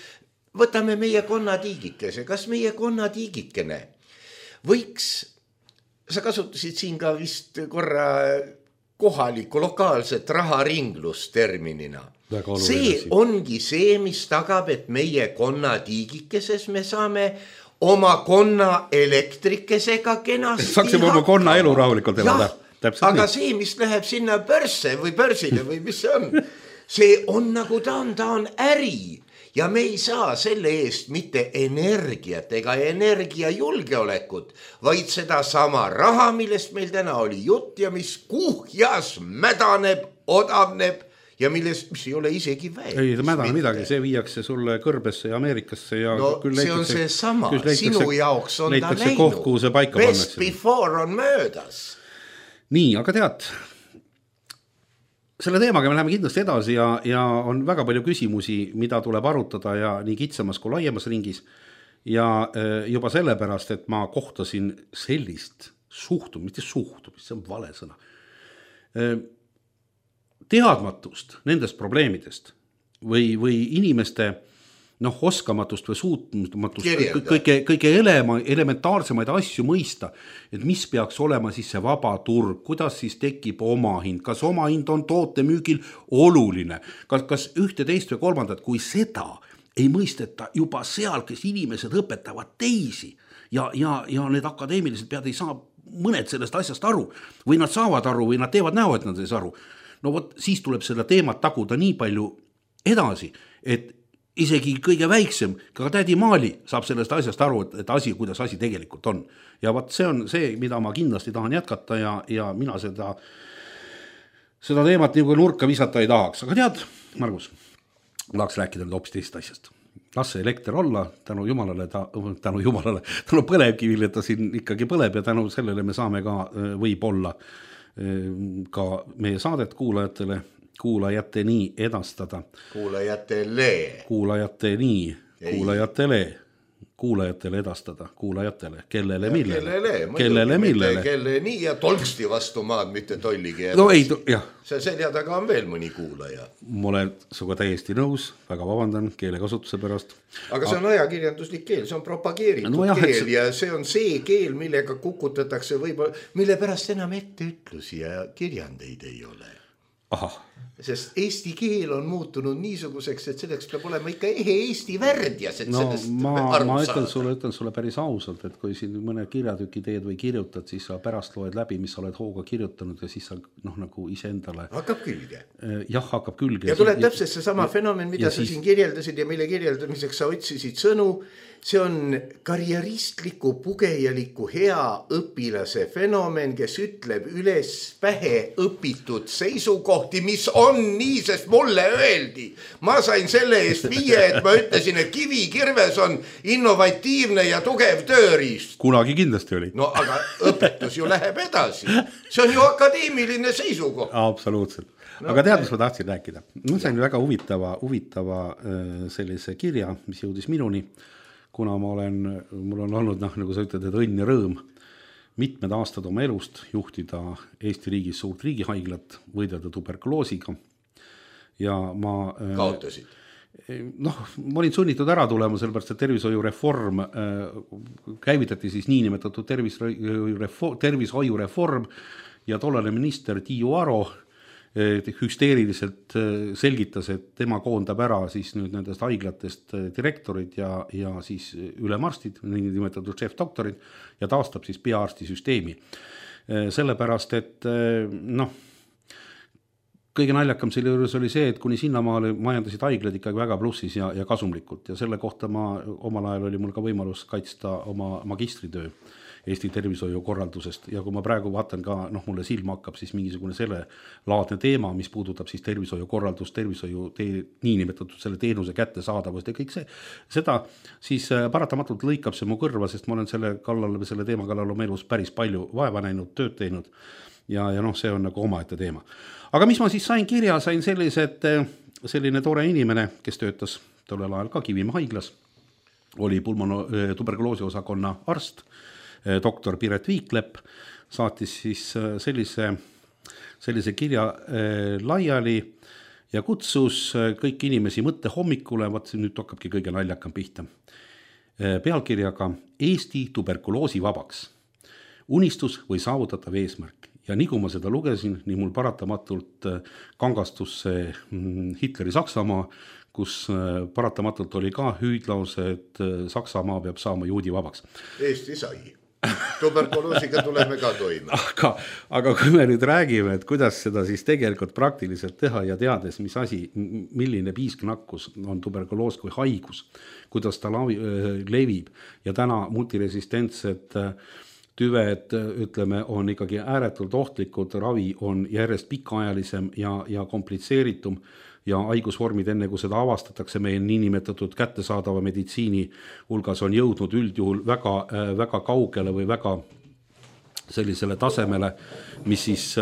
võtame meie konnatiigikese, kas meie konnatiigikene võiks... Sa kasutasid siin ka vist korra kohalikku lokaalset raharinglusterminina. See ongi see, mis tagab, et meie konnatiigikeses me saame oma konna elektrikesega kenasti Saaksime oma konna elu rahulikult elada. Aga see, mis läheb sinna börse või börsile või mis see on nagu ta on äri. Ja me ei saa selle eest mitte energiat ega energiajulgeolekut, vaid seda sama raha, millest meil täna oli jutt ja mis kuhjas mädaneb, odavneb ja mis ei ole isegi väed. Ei, mädane midagi, see viiakse sulle Kõrbesse ja Ameerikasse. Ja no see on see sama, sinu jaoks on ta läinud. Best before on möödas. Nii, aga tead... Selle teemaga me läheme kindlasti edasi ja on väga palju küsimusi, mida tuleb arutada ja nii kitsamas kui laiemas ringis. Ja juba sellepärast, et ma kohtasin sellist suhtumist, see on vale sõna. Teadmatust nendest probleemidest või inimeste oskamatust või suutmatust kõige elementaarsemaid asju mõista, et mis peaks olema siis see vaba turg, kuidas siis tekib omahind, kas omahind on toote müügil oluline, kas ühte, teist või kolmandat, kui seda ei mõisteta juba seal, kes inimesed õpetavad teisi ja need akadeemilised pead ei saa mõned sellest asjast aru või nad saavad aru või nad teevad näo, et nad ei saa aru. No võt, siis tuleb seda teemat taguda nii palju edasi, et isegi kõige väiksem, ka tädi Maali saab sellest asjast aru, et kuidas asi tegelikult on. Ja võt, see on see, mida ma kindlasti tahan jätkata ja mina seda teemat nagu nurka visata ei tahaks. Aga tead, Margus, tahaks rääkida nüüd hoopis teist asjast. Las see elekter olla, tänu jumalale, tänu põlevkivile, ta siin ikkagi põleb ja tänu sellele me saame ka võib-olla ka meie saadet kuulajatele edastada. Kuulajatele edastada, kuulajatele, kellele millele. Kelle nii ja tolksti vastu maad, mitte tolligi. No ei, jah. See selja taga on veel mõni kuulaja. Ma olen suga täiesti nõus, väga vabandan keelekasutuse pärast. Aga see on ajakirjanduslik keel, see on propageeritud keel ja see on see keel, millega kukutatakse võib-olla, mille pärast enam etteütlusi ja kirjandeid ei ole. Ahah. Sest eesti keel on muutunud niisuguseks, et selleks peab olema ikka eesti värdjas, et sellest ma ütlen sulle päris ausalt, et kui siin mõne kirjatüki teed või kirjutad, siis sa pärast loed läbi, mis sa oled hooga kirjutanud ja siis sa nagu iseendale hakkab külge. Jah, hakkab külge. Ja tuleb täpselt see sama fenomen, mida sa siin kirjeldasid ja mille kirjeldamiseks sa otsisid sõnu. See on karjeristliku, pugejaliku, hea õpilase fenomen, kes ütleb üles pähe õpitud seisukohti, mis on nii, sest mulle öeldi. Ma sain selle eest 5, et ma ütlesin, et kivikirves on innovatiivne ja tugev tööriist. Kunagi kindlasti oli. No aga õpetus ju läheb edasi. See on ju akadeemiline seisukoht. Absoluutselt. Aga tead, mis ma tahtsin rääkida? Ma sain väga huvitava sellise kirja, mis jõudis minuni. Kuna mul on olnud, nagu sa ütled, et õnn ja rõõm mitmed aastad oma elust juhtida Eesti riigis suurt riigihaiglat, võidelda tuberkuloosiga. Ja ma... Kaotasid? Ma olin sunnitud ära tulema, sellepärast, et tervishoiureform käivitati siis niinimetatud tervishoiureform ja tollane minister Tiiu Aro hüsteeriliselt selgitas, et tema koondab ära siis nüüd nendest haiglatest direktorid ja siis ülemarstid, nimetatud šefdoktorid ja taastab siis pearstisüsteemi. Sellepärast, et kõige naljakam selle juures oli see, et kuni sinnamaale majandasid haiglad ikkagi väga plussis ja kasumlikult ja selle kohta omal ajal oli mul ka võimalus kaitsta oma magistritöö Eesti tervishoiukorraldusest ja kui ma praegu vaatan ka, mulle silma hakkab siis mingisugune selle laadne teema, mis puudutab siis tervishoiukorraldust, niinimetatud selle teenuse kättesaadavust ja kõik seda siis paratamatult lõikab see mu kõrva, sest ma olen selle teema kallal oma elus päris palju vaeva näinud, tööd teinud ja see on nagu omaette teema. Aga mis ma siis sain kirja, sain selline tore inimene, kes töötas tollel ajal ka Kivimäe haiglas, oli tuberkuloosi osakonna arst, doktor Piret Viiklepp, saatis siis sellise kirja laiali ja kutsus kõik inimesi mõtte hommikule, nüüd hakkabki kõige naljakam pihta, pealkirjaga Eesti tuberkuloosi vabaks. Unistus või saavutatav eesmärk. Ja nii kui ma seda lugesin, nii mul paratamatult kangastus see Hitleri Saksamaa, kus paratamatult oli ka hüüdlause, et Saksamaa peab saama juudi vabaks. Eesti sai. Tuberkuloosiga tuleme ka toime. Aga kui me nüüd räägime, et kuidas seda siis tegelikult praktiliselt teha ja teades, milline piisknakkus on tuberkuloos kui haigus, kuidas ta levib ja täna multiresistentsed tüved, ütleme, on ikkagi ääretult ohtlikud, ravi on järjest pikaajalisem ja komplitseeritum ja haigusvormid enne kui seda avastatakse meie niinimetatud kättesaadava meditsiini hulgas on jõudnud üldjuhul väga, väga kaugele või väga sellisele tasemele, mis siis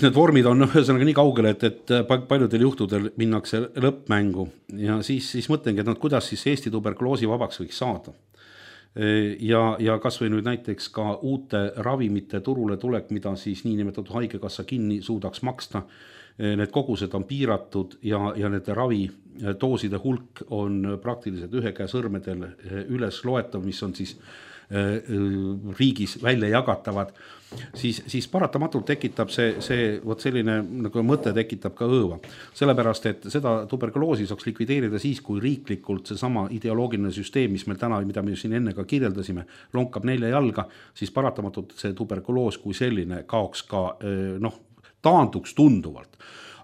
need vormid on ühesõnaga nii kaugele, et paljudel juhtudel minnakse lõppmängu ja siis mõtlengi, et kuidas siis Eesti tuberkuloosi vabaks võiks saada. Ja kas või nüüd näiteks ka uute ravimite turule tulek, mida siis niinimetatud haigekassa kinni suudaks maksta. Need kogused on piiratud ja nende ravidooside hulk on praktiliselt ühe käe sõrmedel üles loetav, mis on siis riigis välja jagatavad, siis paratamatult tekitab selline nagu mõte tekitab ka õõva. Sellepärast, et seda tuberkuloosi saaks likvideerida siis, kui riiklikult seesama ideoloogiline süsteem, mis meil täna, mida me siin enne ka kirjeldasime, lonkab 4 jalga, siis paratamatult see tuberkuloos kui selline kaoks ka, taanduks tunduvalt.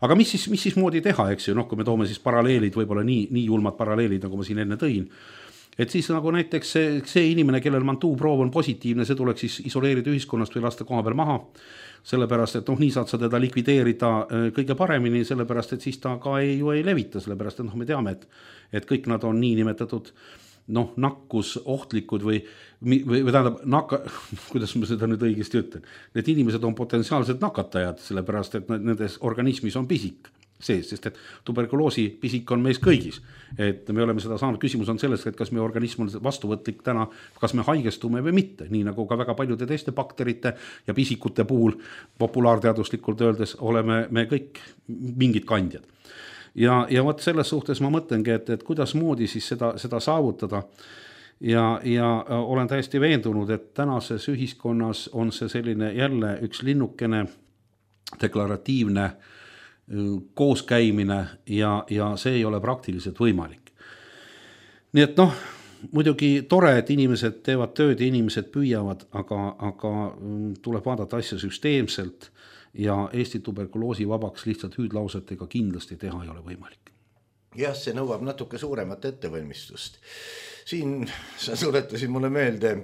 Aga mis siis moodi teha, eks ju, kui me toome siis paralleelid, võib-olla nii julmad paralleelid, nagu ma siin enne tõin, et siis nagu näiteks see inimene, kellel mantuuproov on positiivne, see tuleks siis isoleerida ühiskonnast või lasta koha peal maha, sellepärast, et nii saad sa teda likvideerida kõige paremini, sellepärast, et siis ta ka ei levita, sellepärast, et me teame, et kõik nad on nii nimetatud nakkus ohtlikud või tähendab, kuidas ma seda nüüd õigesti ütlen, need inimesed on potentsiaalsed nakatajad, sellepärast, et nendes organismis on pisik sees, sest et tuberkuloosi pisik on meis kõigis, et me oleme seda saanud, küsimus on selles, et kas meie organism on vastuvõtlik täna, kas me haigestume või mitte, nii nagu ka väga paljude teiste bakterite ja pisikute puhul populaarteaduslikult öeldes oleme me kõik mingid kandjad. Ja võt selles suhtes ma mõtlengi, et kuidas moodi siis seda saavutada ja olen täiesti veendunud, et tänases ühiskonnas on see selline jälle üks linnukene deklaratiivne kooskäimine ja see ei ole praktiliselt võimalik. Nii et muidugi tore, et inimesed teevad tööd ja inimesed püüavad, aga tuleb vaadata asja süsteemselt ja Eesti tuberkuloosi vabaks lihtsalt hüüdlausetega kindlasti teha ei ole võimalik. Jah, see nõuab natuke suuremat ettevalmistust. Siin sa tuletasid mulle meelde,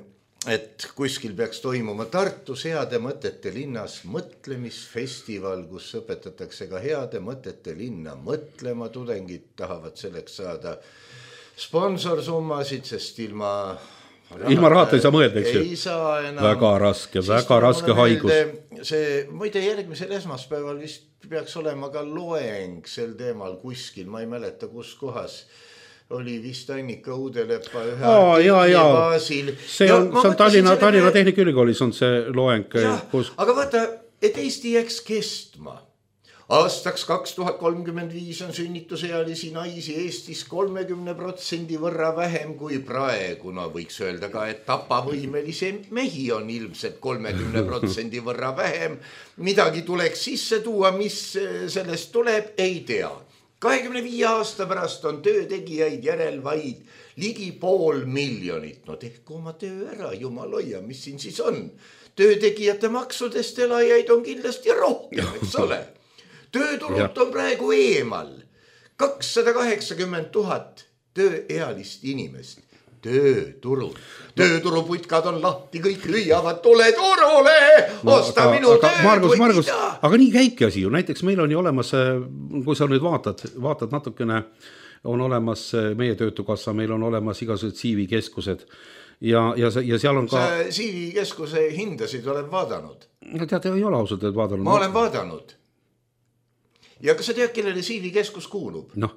et kuskil peaks toimuma Tartus heade mõtete linnas mõtlemisfestival, kus õpetatakse ka heade mõtete linna mõtlema. Tudengid tahavad selleks saada sponsorsummasid, sest ilma rahata ei saa mõelda, eks ju? Ei saa enam. Väga raske haigus. Muide, järgmisel esmaspäeval vist peaks olema ka loeng sel teemal kuskil, ma ei mäleta kus kohas, oli vist Annika Uudelepa ühe artikli baasil. See on Tallinna Tehnikaülikoolis on see loeng. Aga vaata, et Eesti jääks kestma, Aastaks 2035 on sünnitusealisi naisi Eestis 30% võrra vähem kui praegu. No võiks öelda ka, et tapavõimelisi mehi on ilmselt 30% võrra vähem. Midagi tuleks sisse tuua, mis sellest tuleb, ei tea. 25 aasta pärast on töötegijaid järel vaid ligi 500 000. No tehku oma töö ära, jumal hoia, mis siin siis on? Töötegijate maksudest elajaid on kindlasti rohkem, eks ole. Tööturult on praegu eemal 280 000 tööealist inimest. Tööturul. Tööturuputkad on lahti, kõik lüüavad, tule turule, osta minu tööd või mida. Aga nii käibki asi ju, näiteks meil on ju olemas, kui sa nüüd vaatad natukene, on olemas meie töötukassa, meil on olemas igasugused CV-keskused ja seal on ka... Sa CV-keskuse hindasid oled vaadanud? Tead, ei ole ausalt, et vaadanud. Ma olen vaadanud. Ja kas sa tead, kellele CV-keskus kuulub? No.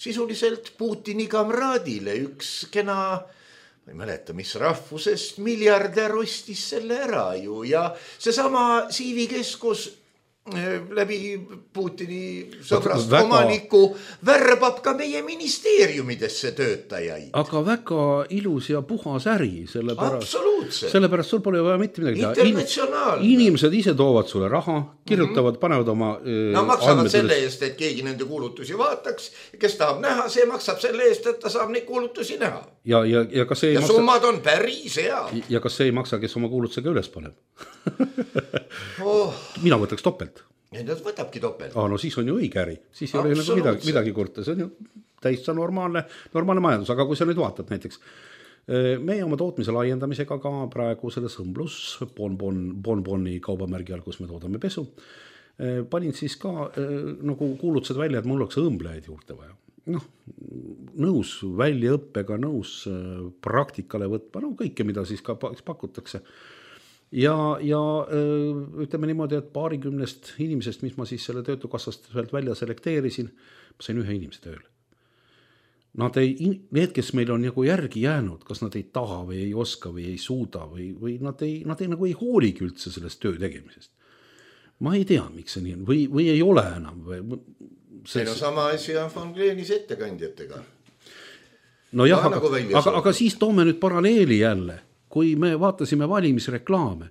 Sisuliselt Putini kamraadile üks kena, ma ei mäleta, mis rahvusest miljardär ostis selle ära ju. Ja seesama CV-keskus läbi Putini sõbrast omaniku värbab ka meie ministeeriumidesse töötajaid. Aga väga ilus ja puhas äri. Absoluutselt. Sellepärast sul pole vaja mitte midagi teha. Internatsionaalne. Inimesed ise toovad sulle raha, kirjutavad, panevad oma maksavad selle eest, et keegi nende kuulutusi vaataks. Kes tahab näha, see maksab selle eest, et ta saab neid kuulutusi näha. Ja kas see ja summad on päris hea. Ja kas see ei maksa, kes oma kuulutusega üles paneb? Mina võtaks topelt. Nad võtabki topelt. No siis on ju õige äri. Siis ei ole nagu midagi kurta. See on ju täitsa normaalne majandus. Aga kui sa nüüd vaatad näiteks, meie oma tootmise laiendamisega ka praegu selles Õmblus Bonboni kaubamärgi all, kus me toodame pesu, panin siis ka nagu kuulutused välja, et mul oleks õmblejaid juurde vaja. Nõus väljaõppega, nõus praktikale võtma, kõike, mida siis ka pakutakse. Ja ütleme niimoodi, et 20 inimesest, mis ma siis selle töötukassast välja selekteerisin, ma sain ühe inimese tööle. Need, kes meil on nagu järgi jäänud, kas nad ei taha või ei oska või ei suuda või nad ei nagu ei hooligi üldse sellest töö tegemisest. Ma ei tea, miks see nii on või ei ole enam. Sama asja on von Gleenis ettekandjatega. No jah, aga siis toome nüüd paralleeli jälle. Kui me vaatasime valimisreklaame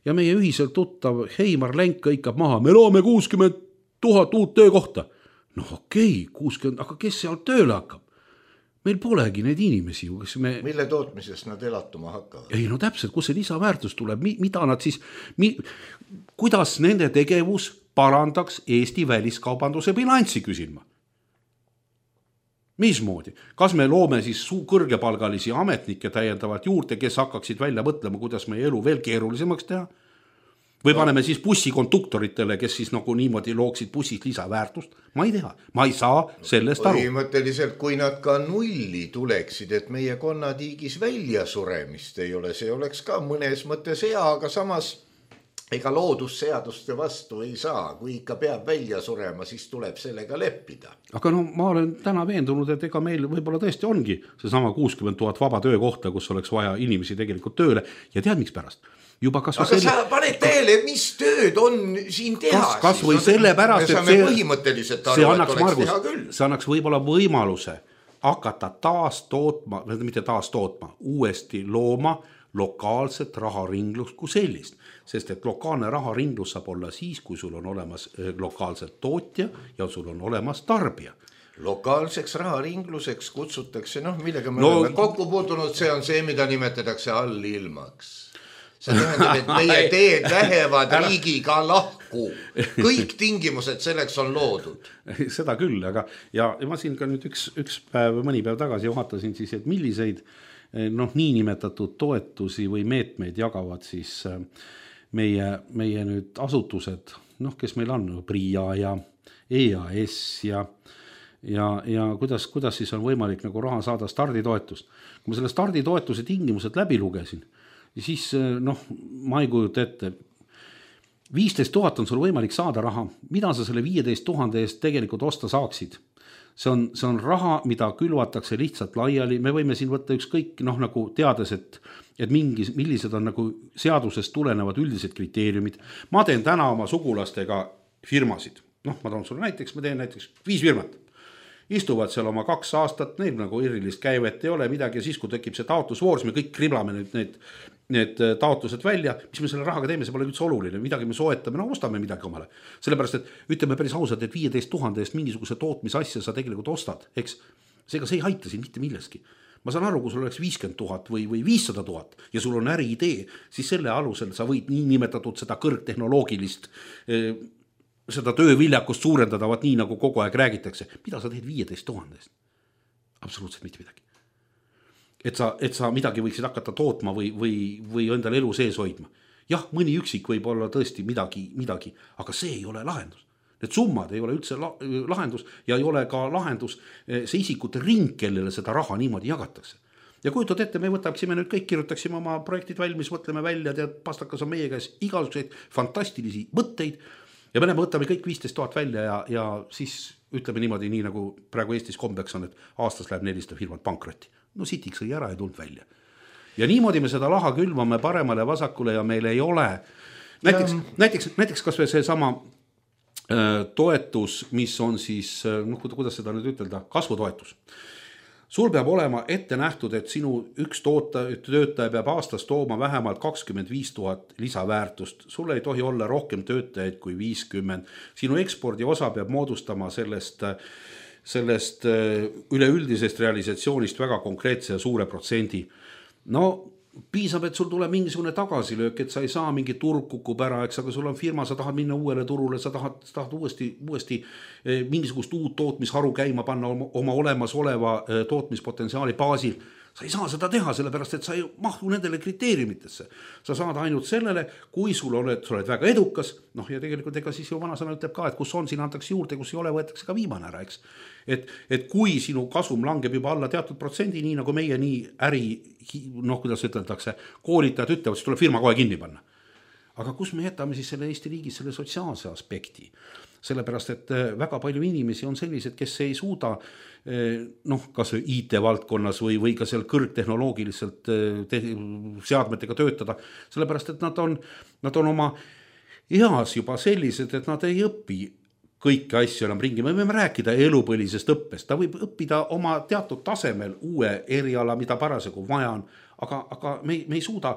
ja meie ühiselt tuttav Heimar Lenk kõikab maha, me loome 60 000 uut töökohta. No okei, 60, aga kes seal tööle hakkab? Meil polegi neid inimesi. Mille tootmisest nad elatuma hakkavad? Ei, no täpselt, kus see lisaväärtus tuleb, mida nad siis, kuidas nende tegevus parandaks Eesti väliskaubanduse bilanssi, küsin ma. Mismoodi? Kas me loome siis kõrgepalgalisi ametnikke täiendavalt juurde, kes hakkaksid välja mõtlema, kuidas meie elu veel keerulisemaks teha? Või paneme siis bussikonduktoritele, kes siis nagu niimoodi looksid bussis lisaväärtust? Ma ei tea, ma ei saa sellest aru. Põhimõtteliselt, kui nad ka nulli tuleksid, et meie konnatiigis välja suremist ei ole, see oleks ka mõnes mõttes hea, aga samas ega loodusseaduste vastu ei saa. Kui ikka peab välja surema, siis tuleb sellega leppida. Aga ma olen täna veendunud, et ega meil võib-olla tõesti ongi seesama 60 000 vaba töökohta, kus oleks vaja inimesi tegelikult tööle. Ja tead, miks pärast? Aga sa paned teele, mis tööd on siin teha? Kas või selle pärast, et see annaks võib-olla võimaluse hakata mitte taas tootma, uuesti looma lokaalset raharinglust kui sellist. Sest et lokaalne raharinglus saab olla siis, kui sul on olemas lokaalselt tootja ja sul on olemas tarbija. Lokaalseks raharingluseks kutsutakse, millega me oleme kokku puutunud, see on see, mida nimetatakse allilmaks. See tähendab, et meie teed lähevad riigiga lahku. Kõik tingimused selleks on loodud. Seda küll, aga ja ma siin ka nüüd üks päev, mõni päev tagasi vaatasin siis, et milliseid niinimetatud toetusi või meetmeid jagavad siis meie nüüd asutused, kes meil on, PRIA ja EAS ja kuidas siis on võimalik nagu raha saada starditoetust. Kui ma selle starditoetuse tingimused läbi lugesin, siis ma ei kujuta ette, 15 000 on sul võimalik saada raha, mida sa selle 15 000 eest tegelikult osta saaksid? See on raha, mida külvatakse lihtsalt laiali, me võime siin võtta ükskõik, nagu teades, et millised on nagu seadusest tulenevad üldised kriteeriumid. Ma teen täna oma sugulastega firmasid, noh, ma toon sulle näiteks, ma teen näiteks 5 firmat. Istuvad seal oma 2 aastat, neil nagu erilist käivet ei ole midagi ja siis, kui tekib see taotlusvoor, me kõik kriblame need taotlused välja, mis me selle rahaga teeme, see pole üldse oluline, midagi me soetame, no ostame midagi omale. Sellepärast, et ütleme päris ausalt, et 15 000 eest mingisuguse tootmisasja sa tegelikult ostad, eks, seega see ei aita siin mitte milleski. Ma saan aru, kui sul oleks 50 000 või 500 000 ja sul on äriidee, siis selle alusel sa võid nii nimetatud seda kõrgtehnoloogilist seda tööviljakust suurendada, vaat nii nagu kogu aeg räägitakse. Mida sa teed 15 000 eest? Absoluutselt mitte midagi. Et sa midagi võiksid hakata tootma või endale elu sees hoidma. Jah, mõni üksik võib olla tõesti midagi, aga see ei ole lahendus. Need summad ei ole üldse lahendus ja ei ole ka lahendus see isikute ring, kellele seda raha niimoodi jagatakse. Ja kujutad ette, me võtaksime nüüd kõik, kirjutaksime oma projektid valmis, mõtleme välja, tead, pastakas on meie käes igasuguseid fantastilisi mõtteid ja me võtame kõik 15 000 välja ja siis ütleme niimoodi, nii nagu praegu Eestis kombeks on, et aastas läheb 400 firmat pankrotti. No sitiks sõi ära ja tulnud välja. Ja niimoodi me seda laha külvame paremale vasakule ja meil ei ole. Näiteks kas või see sama toetus, mis on siis, noh, kuidas seda nüüd ütelda, kasvutoetus. Sul peab olema ette nähtud, et sinu üks töötaja peab aastas tooma vähemalt 25 000 lisaväärtust. Sul ei tohi olla rohkem töötajaid kui 50. Sinu ekspordi osa peab moodustama sellest üleüldisest realisatsioonist väga konkreetse ja suure protsendi. No piisab, et sul tuleb mingisugune tagasilöök, et sa ei saa mingi turg kukub ära, eks, aga sul on firma, sa tahad minna uuele turule, sa tahad uuesti mingisugust uut tootmisharu käima panna oma olemasoleva tootmispotentsiaali baasil. Sa ei saa seda teha, sellepärast, et sa ei mahtu nendele kriteeriumitesse. Sa saad ainult sellele, kui sul oled väga edukas, noh ja tegelikult ega siis ju vanasõna ütleb ka, et kus on, siin antakse juurde, kus ei ole, võetakse ka viimane ära, eks. Et kui sinu kasum langeb juba alla teatud protsendi, nii nagu meie nii äri, noh kuidas ütletakse, koolitajad ütlevad, siis tuleb firma kohe kinni panna. Aga kus me jätame siis selle Eesti riigis selle sotsiaalse aspekti? Sellepärast, et väga palju inimesi on sellised, kes ei suuda noh, kas IT-valdkonnas või ka seal kõrgtehnoloogiliselt seadmetega töötada, sellepärast, et nad on oma eas juba sellised, et nad ei õpi kõiki asju enam ringi. Me võime rääkida elupõlisest õppest, ta võib õppida oma teatud tasemel uue eriala, mida parasjagu vaja on, aga me ei suuda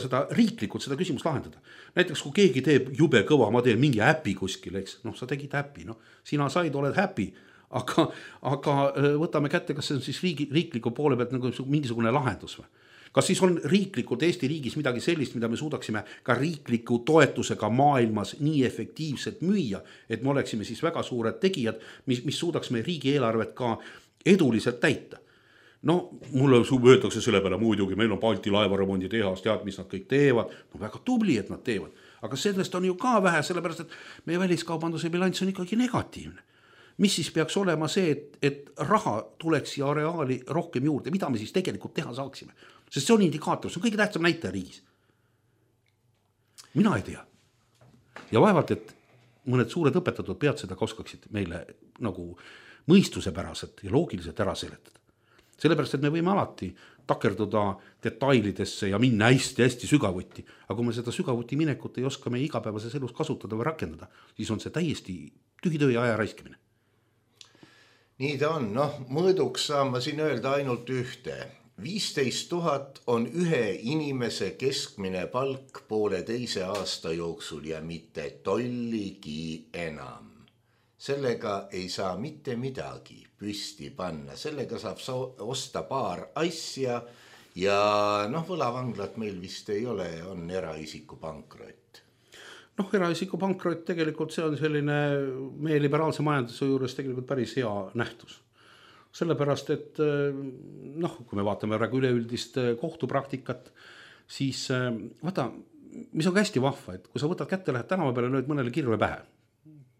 seda riiklikult seda küsimust lahendada. Näiteks kui keegi teeb jube kõva, ma teen mingi äpi kuskil, eks, noh sa tegid äpi, noh sina said, oled happy, aga võtame kätte, kas see on siis riikliku poole pealt nagu mingisugune lahendus või? Kas siis on riiklikult Eesti riigis midagi sellist, mida me suudaksime ka riikliku toetusega maailmas nii efektiivselt müüa, et me oleksime siis väga suured tegijad, mis suudaks meie riigieelarvet ka eduliselt täita? No mulle võetakse selle peale muidugi, meil on Balti laevaremondi tehas, tead, mis nad kõik teevad, no väga tubli, et nad teevad, aga sellest on ju ka vähe, sellepärast, et meie väliskaubanduse bilanss on ikkagi negatiivne. Mis siis peaks olema see, et raha tuleks ja areaali rohkem juurde, mida me siis tegelikult teha saaksime? Sest see on indikaator, see on kõige tähtsam näitaja riigis. Mina ei tea. Ja vaevalt, et mõned suured õpetatud pead seda oskaksid meile nagu mõistusepäraselt ja loogiliselt ära seletada. Sellepärast, et me võime alati takerduda detailidesse ja minna hästi sügavuti, aga kui me seda sügavuti minekut ei oska meie igapäevases elus kasutada või rakendada, siis on see täiesti tühitöö ja aja raiskimine. Nii ta on, noh, mõõduks saan ma siin öelda ainult ühte. 15 000 on ühe inimese keskmine palk 1,5 aasta jooksul ja mitte tolligi enam. Sellega ei saa mitte midagi püsti panna, sellega saab osta paar asja ja noh, võlavanglat meil vist ei ole, on eraisiku pankrott. Noh, eraisiku pankrott tegelikult see on selline meie liberaalse majanduse juures tegelikult päris hea nähtus. Sellepärast, et noh, kui me vaatame praegu üleüldist kohtupraktikat, siis vaata, mis on hästi vahva, et kui sa võtad kätte, lähed tänava peale, lööd mõnele kirve pähe,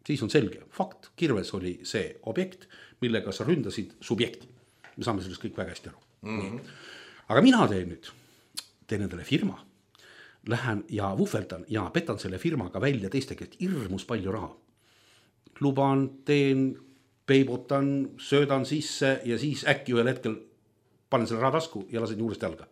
siis on selge. Fakt, kirves oli see objekt, millega sa ründasid subjekti. Me saame sellest kõik väga hästi aru. Mm-hmm. Aga mina teen endale firma, lähen ja vuhveldan ja petan selle firmaga välja teiste käest hirmus palju raha. Luban, teen, peibutan, söödan sisse ja siis äkki ühel hetkel panen selle raha tasku ja lasen juurest jalga.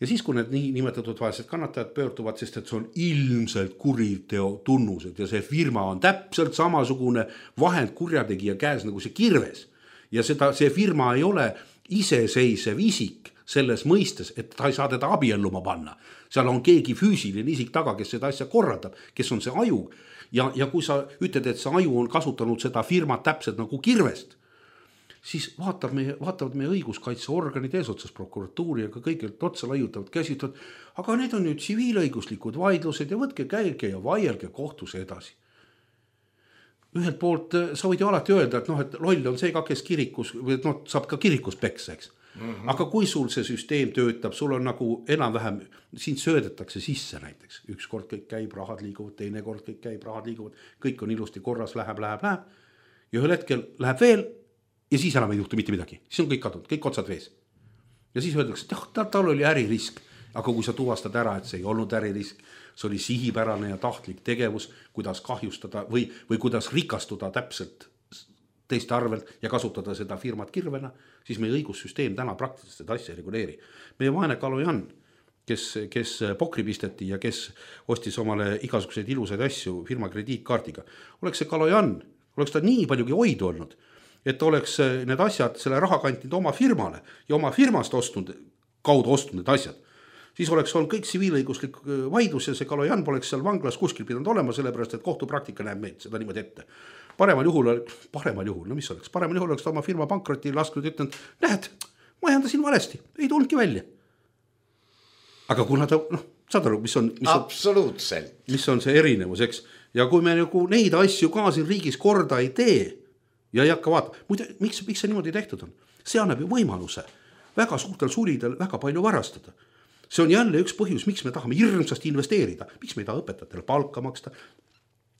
Ja siis, kui need nimetatud vaesed kannatajad pöörduvad, sest et see on ilmselt kuriteo tunnused ja see firma on täpselt samasugune vahend kurjategija käes nagu see kirves. Ja see firma ei ole iseseisev isik selles mõistes, et ta ei saa teda abielluma panna. Seal on keegi füüsiline isik taga, kes seda asja korraldab, kes on see aju. Ja kui sa ütled, et see aju on kasutanud seda firmat täpselt nagu kirvest, siis vaatavad meie õiguskaitseorganid eesotsas prokuratuuri ja ka kõigelt otsa laiutavad, käsitavad, aga need on ju tsiviilõiguslikud vaidlused ja võtke käige ja vaielge kohtus edasi. Ühelt poolt sa võid ju alati öelda, et loll on see ka, kes kirikus, saab ka kirikus peksa, eks. Aga kui sul see süsteem töötab, sul on nagu enam-vähem, siin söödetakse sisse näiteks. Üks kord kõik käib, rahad liiguvad, teine kord kõik käib, rahad liiguvad, kõik on ilusti korras, läheb. Ja ühel hetkel läheb veel ja siis enam ei juhtu mitte midagi. Siis on kõik kadunud, kõik otsad vees. Ja siis öeldakse, et tal oli äririsk. Aga kui sa tuvastad ära, et see ei olnud äririsk, see oli sihipärane ja tahtlik tegevus, kuidas kahjustada või kuidas rikastuda täpselt teiste arvelt ja kasutada seda firmat kirvena, siis meie õigussüsteem täna praktiliselt seda asja ei reguleeri. Meie vaene Kalojan, kes pokri pisteti ja kes ostis omale igasuguseid ilusaid asju firma krediitkaardiga, oleks see Kalojan, oleks ta nii paljugi hoidu olnud, et oleks need asjad selle raha kantinud oma firmale ja oma firmast kaudu ostnud need asjad. Siis oleks olnud kõik tsiviilõiguslik vaidlus ja see Kalojan poleks seal vanglas kuskil pidanud olema, sellepärast, et kohtupraktika näeb meid seda niimoodi ette. Paremal juhul, mis oleks? Paremal juhul oleks ta oma firma pankroti lasknud ütlenud, näed, ma ajandasin valesti, ei tulnudki välja. Aga kuna ta, saad aru, mis on see erinevus, eks? Ja kui me nagu neid asju ka siin riigis korda ei tee ja ei hakka vaatama, muide, miks see niimoodi tehtud on? See annab ju võimaluse väga suurtel sulidel väga palju varastada. See on jälle üks põhjus, miks me tahame hirmsasti investeerida, miks me ei taha õpetajatele palka maksta.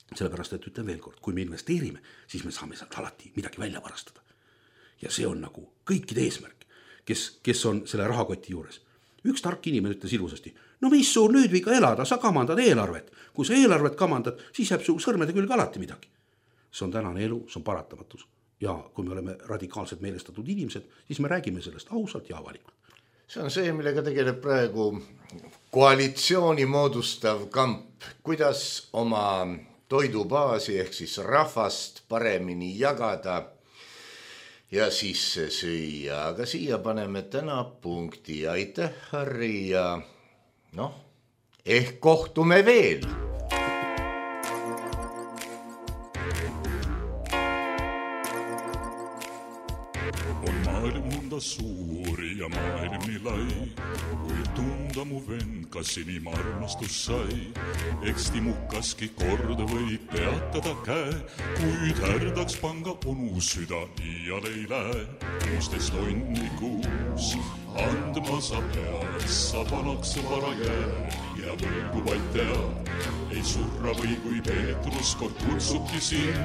Sellepärast, et ütlen veel kord, kui me investeerime, siis me saame sealt alati midagi välja varastada. Ja see on nagu kõikide eesmärk, kes on selle rahakoti juures. Üks tark inimene ütles ilusasti, no mis sul nüüd viga elada, sa kamandad eelarvet. Kui sa eelarvet kamandad, siis jääb su sõrmede külge alati midagi. See on tänane elu, see on paratamatus. Ja kui me oleme radikaalselt meelestatud inimesed, siis me räägime sellest ausalt ja avalikult. See on see, millega tegeleb praegu koalitsiooni moodustav kamp, kuidas oma toidubaasi ehk siis rahvast paremini jagada ja sisse süüa. Aga siia paneme täna punkti. Aitäh, Harri, ja ehk kohtume veel. On maailm mõnda suuri ja maailm nii lai, kui tunda mu vend, kas inim armastus sai. Eks timukaski kord võib peatada käe, kuid härdaks panga onu süda iial ei lähe. 16 tonnikuus andma sa pead, sa vanaks vara jääd ja võlgu vaid tead. Ei surra või kui Peetrus kord kutsubki siin,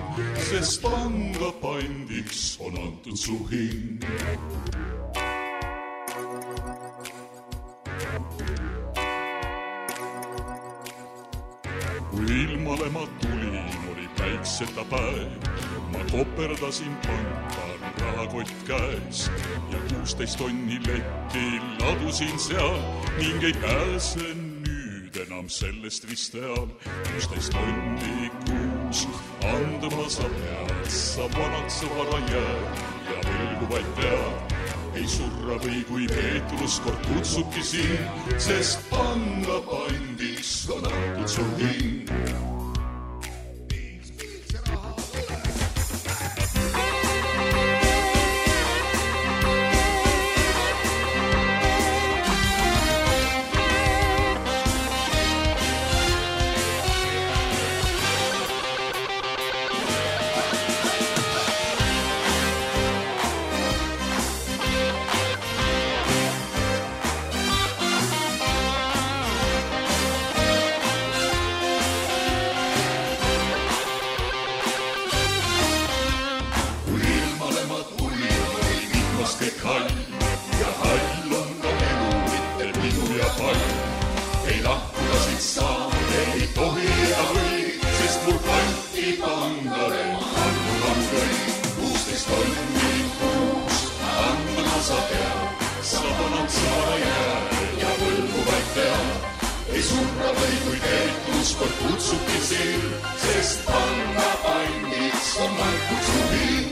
sest panga pandiks on antud su hing. Kui ilmale ma tulin, oli päikseta päev. Ma koperdasin panka, rahakott käes ja 16 tonni letti ladusin seal ning ei pääse nüüd enam sellest vist teal. 16 tonni kuus andma sa pead, sa vanaks vara jääd ja võlgu vaid tead. Ei surra või kui Peetrus kord kutsubki siin, sest panga pandiks on antud su hing. Sa panad sa jääd ja võlgu tea, ei surra või kui peetus kord kutsubki siin, sest panga pandiks on Markus Juhin.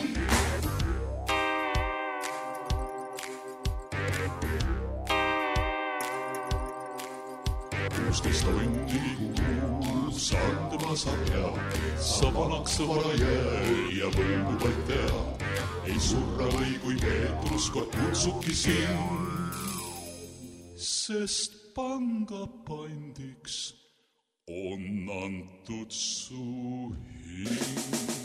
16 tonni kuus, andma saab hea, sa vanaks vara jää ja võlgu vaid tea, ei surra või kui peetus kord kutsubki siin, sest panga pandiks on antud su hing.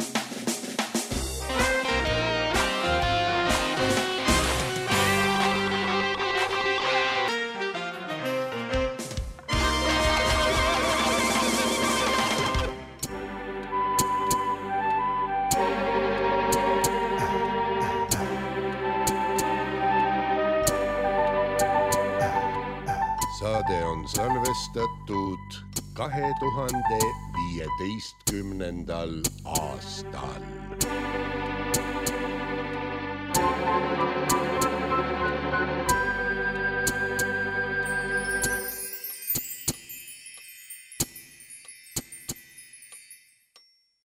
Saade on salvestatud 2015. aastal.